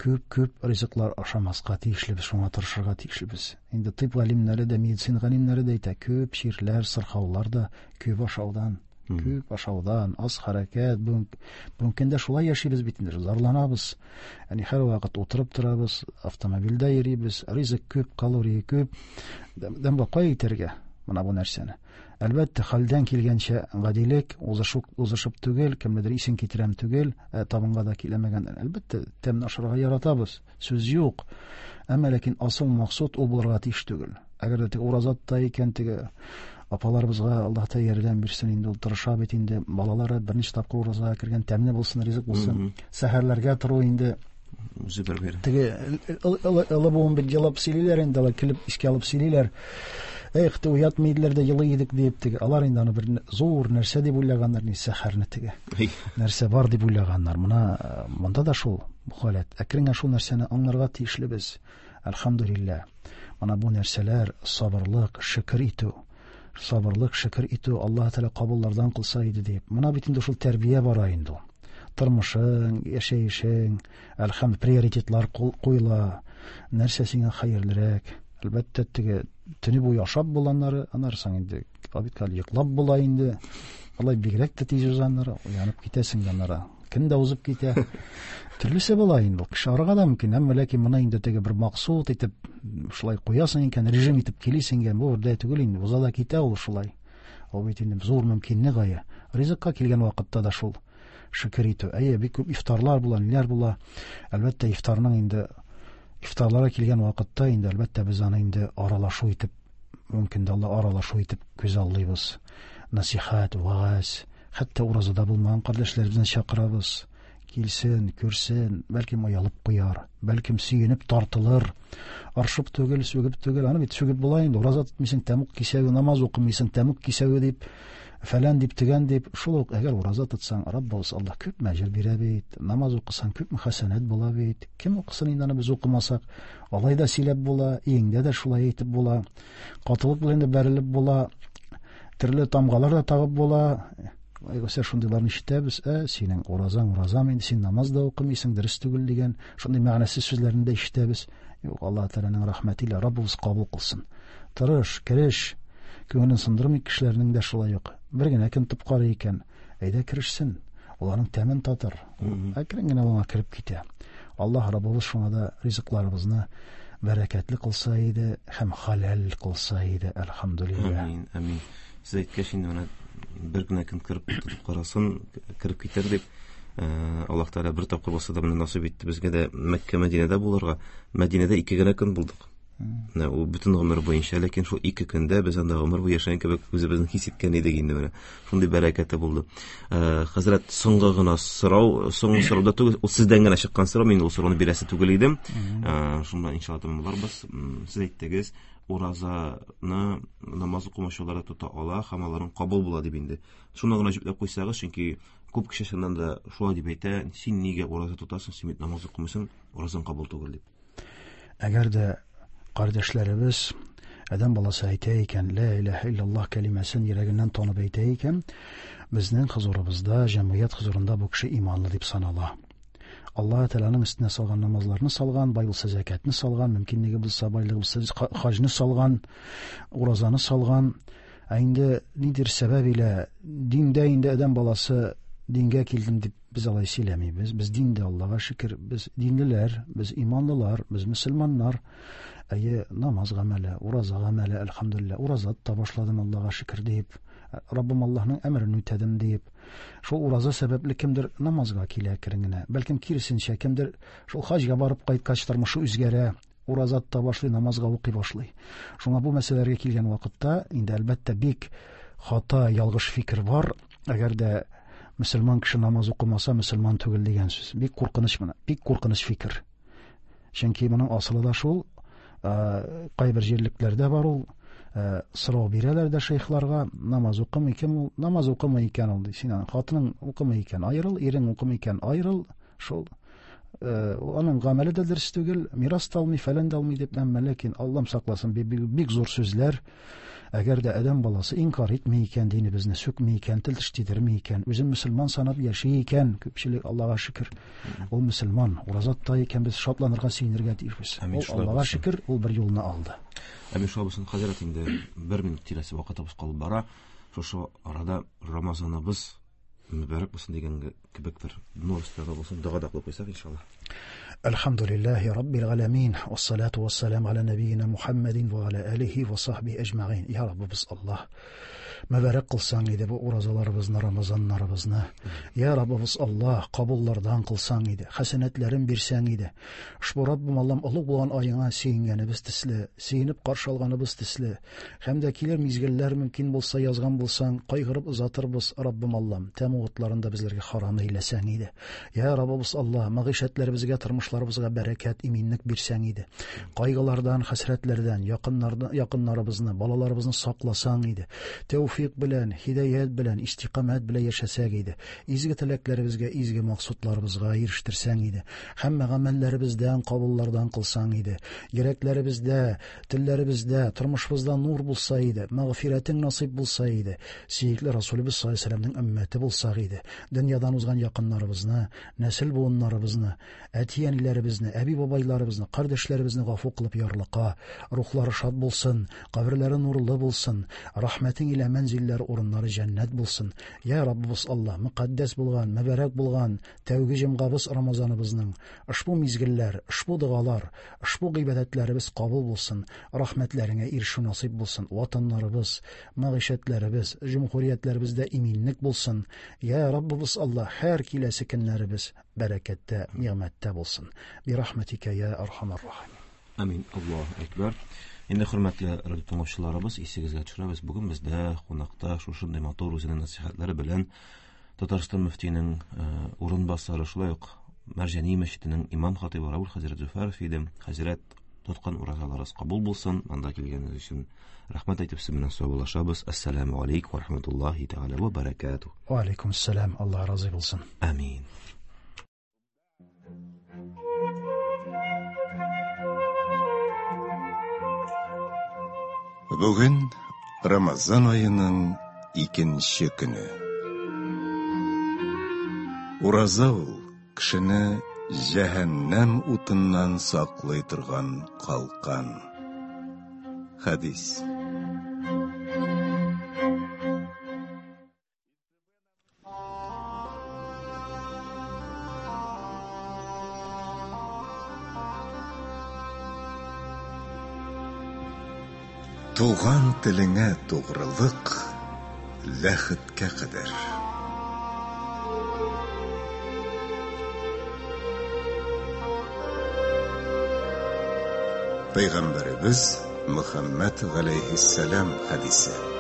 күп-күп ризыклар ашамаска тиешлебез, шуңа тырышырга тиешлебез. Инде тиб галимнәре дә, медицина галимнәре дә әйтә, күп чирләр, сырхаулар да күп ашаудан, Мгм. күп ашаудан, аз хәрәкәт, бүген, бүгенге көндә шулай яшибез бит инде, зарланабыз. Ягъни һәр вакыт утырып торабыз, автомобильдә йөрибез, ризык күп, калория күп. Дәм кая итәргә менә бу нәрсәне? Әлбәттә, хәлдән килгәнчә гадилек, узышып, узышып түгел, кемнедер исен китерәм түгел, ә, табынга да киләмәгән. Әлбәттә, тәмне ашарга яратабыз, сүз юк. Әмма ләкин асыл максат ул булырга тиеш түгел. Әгәр дә теге ураза тота икән, теге апаларыбызга Аллаһ Тәгалә ярдәм бирсен инде, ул тырыша бит инде, балалары берничә тапкыр уразага кергән, тәмле булсын, ризык булсын. Мгм. Сәхәрләргә тору инде Үзе бер бәйрәм. Теге олы буын бит елап сөйлиләр инде, алар килеп искә алып сөйлиләр. Эх, те уятмый иделәр дә елый идек дип теге. Алар инде аны бер зур нәрсә дип уйлаганнар, ни сәхәрне теге. Нәрсә бар дип уйлаганнар. Мына монда да шул бу халәт. Әкрен генә шул нәрсәне аңларга тиешле без. Әлхәмдүлилләһ. Мына бу нәрсәләр сабырлык, шөкер итү. Сабырлык, шөкер итү Аллаһ Тәгалә кабуллардан кылса иде дип. Мына бит инде шул тәрбия бара инде. Тормышың, яшәешең, әлхәмд приоритетлар куела. Нәрсә сиңа хәерлерәк? Әлбәттә, теге төне буе ашап булганнары, анарсың инде обедка йоклап була инде. Алай бигрәк тә тиз узганнары, уянып китәсең аннары. Көн дә узып китә. Төрлесе була инде. Кеше арыга да мөмкин, әмма ләкин моны инде теге бер максат итеп шулай куясың икән, режим итеп килисең икән, бу бердәй түгел инде. Уза да китә ул шулай. Ул бит инде зур мөмкинлек гая. Ризыкка килгән вакытта да шул шөкер итү. Әйе, бик күп ифтарлар була, ниләр була. Әлбәттә, ифтарның инде ифтарларга килгән вакытта инде әлбәттә без аны инде аралашу итеп, мөмкин дә Алла аралашу итеп күз аллыйбыз. Насихат, вагаз, хәтта уразада булмаган кардәшләребезне чакырабыз. Килсен, күрсен, бәлкем оялып куяр, бәлкем сөенеп тартылыр. Аршып түгел, сүгеп түгел, аны бит сүгеп була инде. Ураза тотмыйсың, тәмук кисәве, намаз укымыйсың, тәмук кисәве дип, фәлән дип, тегән дип. Шул ук әгәр ураза тотсаң, Раббыбыз Аллаһ күп мәҗр бирә бит. Намаз укысаң, күп хәсәнәт була бит. Кем укысын инде аны без укымасак? Алай да сөйләп була, иңдә дә шулай әйтеп була. Катылык белән дә бәрелеп була. Төрле тамгалар да тагып була. Айгыса шундыйларны ишетәбез. Ә синең уразаң уразам инде, син намаз да укымыйсың, дөрес түгел дигән шундый мәгънәсез сүзләрне дә ишетәбез. Юк, Аллаһ Тәгаләнең рәхмәте илә Раббыбыз кабул кылсын. Тырыш, кереш, күңелен сындырмый кешеләрнең дә шулай юк. Бер генә көн тотып карый икән, әйдә керешсен, ул аның тәмен татыр. Әкрен генә аңа кереп китә. Аллаһ Раббыбыз шуңа да ризыкларыбызны бәрәкәтле кылса иде һәм халал кылса иде. Әлхәмдүлилләһ. Амин, амин. Сез әйткәч инде менә бер генә көн кереп тотып карасын, кереп китәр дип, Аллаһ Тәгалә бер тапкыр булса да менә насыйп итте безгә дә Мәккә, Мәдинәдә булырга. Мәдинәдә ике генә көн булдык. Менә ул бөтен гомер буенча, ләкин шул ике көндә без анда гомер буе яшәгән кебек үзебезне хис иткән идек инде менә. Шундый бәрәкәте булды. Хәзрәт, соңгы гына сорау, соңгы сорау да түгел, ул сездән генә чыккан сорау, мин ул сорауны бирәсе түгел идем. Шуннан иншалла тәмамларбыз. Сез әйттегез, уразаны намаз укымаучылар да тота ала һәм аларның кабул була дип инде. Шуны гына җөпләп куйсагыз, чөнки күп кеше чыннан да шулай дип әйтә, син нигә ураза тотасың, син бит намаз укымыйсың, уразаң кабул түгел дип. Әгәр дә кардәшләребез адәм баласы әйтә икән, ла илаһа иллаллаһ кәлимәсен йөрәгеннән танып әйтә икән, безнең хозурыбызда, җәмгыять хозурында бу кеше иманлы дип санала. Аллаһ Тәгаләнең өстенә салган намазларны салган, бай булса зәкәтне салган, мөмкинлеге булса, байлыгы булса хаҗны салган, уразаны салган. Ә инде нидер сәбәп илә диндә инде адәм баласы дингә килдем дип без алай сөйләмибез. Без диндә, Аллаһка шөкер, без динлеләр, без иманлылар, без мөселманнар. Әйе, намаз гамәле, ураза гамәле, әлхәмдүлилләһ, ураза тота башладым, Аллаһка шөкер дип, Раббым Аллаһның әмерен үтәдем дип. Шул ураза сәбәпле кемдер намазга килә әкрен генә, бәлкем киресенчә, кемдер шул хаҗга барып кайткач тормышы үзгәрә, ураза тота башлый, намазга укый башлый. Шуңа бу мәсьәләләргә килгән вакытта инде әлбәттә бик хата, ялгыш фикер бар. Әгәр дә мөселман кеше намаз укымаса, мөселман түгел дигән сүз. Бик куркыныч моны, бик куркыныч фикер. Чөнки моның асылы да шул, кайбер җирлекләрдә бар ул, сорау бирәләр дә шейхларга, намаз укымый кем ул, намаз укымый икән ул, син аның хатының укымый икән, аерыл, ирең укымый икән, аерыл, шул. Аның гамәле дә дөрес түгел, мирас та алмый, фәлән дә алмый дип, әмма ләкин Аллам сакласын, бик, бик, бик зур сүзләр. Әгәр дә адәм баласы инкар итми икән, динебезне сүкми икән, тел теш тидерми икән, үзен мөселман санап яши икән, күпчелек Аллаһка шөкер, ул мөселман, ураза тота икән, без шатланырга, сөенергә тиешбез. Амин, Ул шулай Аллаһка булсын. шөкер, ул бер юлны алды. Амин, шулай булсын, хәзрәт, инде бер минут тирәсе вакытыбыз калып бара. Шушы арада Рамазаныбыз мөбарәк булсын дигән кебек бер нур өстәге булсын, дога да кылып куйсак, иншаллаһ. Әлхәмдүлилләһи раббил галәмин, вассалату вассалам аля набийина Мухаммадин ва аля алихи ва сахбихи әҗмәгыйн. Я Раббыбыз Аллаһ, Мөбарәк кылсаң иде бу уразаларыбызны, Рамазаннарыбызны. Я Раббыбыз Аллаһ, кабуллардан кылсаң иде, хәсәнәтләрен бирсәң иде. Ошбу Раббым Аллам олуг булган аеңа сөенгәнебез төсле, сөенеп каршы алганыбыз төсле, һәм дә килер мизгелләр мөмкин булса язган булсаң, кайгырып озатырбыз, Раббым Аллам, тәмуг утларын да безләргә харам әйләсәң иде. Я Раббыбыз Аллаһ, мәгыйшәтләребезгә, тормышларыбызга бәрәкәт, иминлек бирсәң иде. Кайгылардан, хәсрәтләрдән, якыннардан, якыннарыбызны, балаларыбызны сакласаң иде. Тәүфик белән, һидаят белән, истиқамәт белән яшәсәк иде. Изге теләкләребезгә, изге максатларыбызга ирештерсәң иде. Һәммә гамәлләребездән, кабуллардан кылсаң иде. Йөрәкләребездә, телләребездә, тормышыбызда нур булса иде, мәгъфирәтең насыйп булса иде. Сөекле Расулыбыз саллаллаһу алейһи ва сәлләмнең өммәте булсак иде. Дөньядан узган якыннарыбызны, нәсел буыннарыбызны, әти-әниләребезне, әби-бабайларыбызны, кардәшләребезне гафу кылып ярлыка, рухлары шат булсын, каберләре нурлы булсын, рәхмәтең илә мәнзилләр урыннары җәннәт булсын. Я Раббыбыз Аллаһ, мөкаддәс булган, мөбарәк булган тәүге җомгабыз Рамазаныбызның ошбу мизгелләр, ошбу догалар, ошбу гыйбадәтләребез кабул булсын, рәхмәтләреңә ирешү насыйп булсын. Ватаннарыбыз, мәгыйшәтләребез, җөмһүриятләребездә иминлек булсын. Я Раббыбыз Аллаһ, һәр киләсе көннәребез бәрәкәттә, нигъмәттә булсын. Би рәхмәтикә я архамар рахим. Амин. Аллаһу әкбәр. Инде хөрмәтле радио тыңлаучыларыбыз, исегезгә төшерәбез, бүген бездә кунакта шушындый матур үзенең нәсихәтләре белән Татарстан мөфтиенең урынбасары, шулай ук Мәрҗани мәчетенең имам хатыйбы Рауль хәзрәт Зөфәров иде. Хәзрәт, тоткан уразаларыгыз кабул булсын. Анда килгәнегез өчен рәхмәт әйтеп сез белән саубуллашабыз. Ассаламу алейкум ва рахматуллаһи тәгалә ва баракатуһ. Ва алейкум ассалам. Аллаһ разый булсын. Амин. Бүген Рамазан аеның икенче көне. Ураза ул кешене җәһәннәм утыннан саклый торган калкан. Хәдис. Туган телеңә тугрылык ләхеткә кадәр. Пәйгамбәребез Мөхәммәд галәйһиссәлам хәдисе.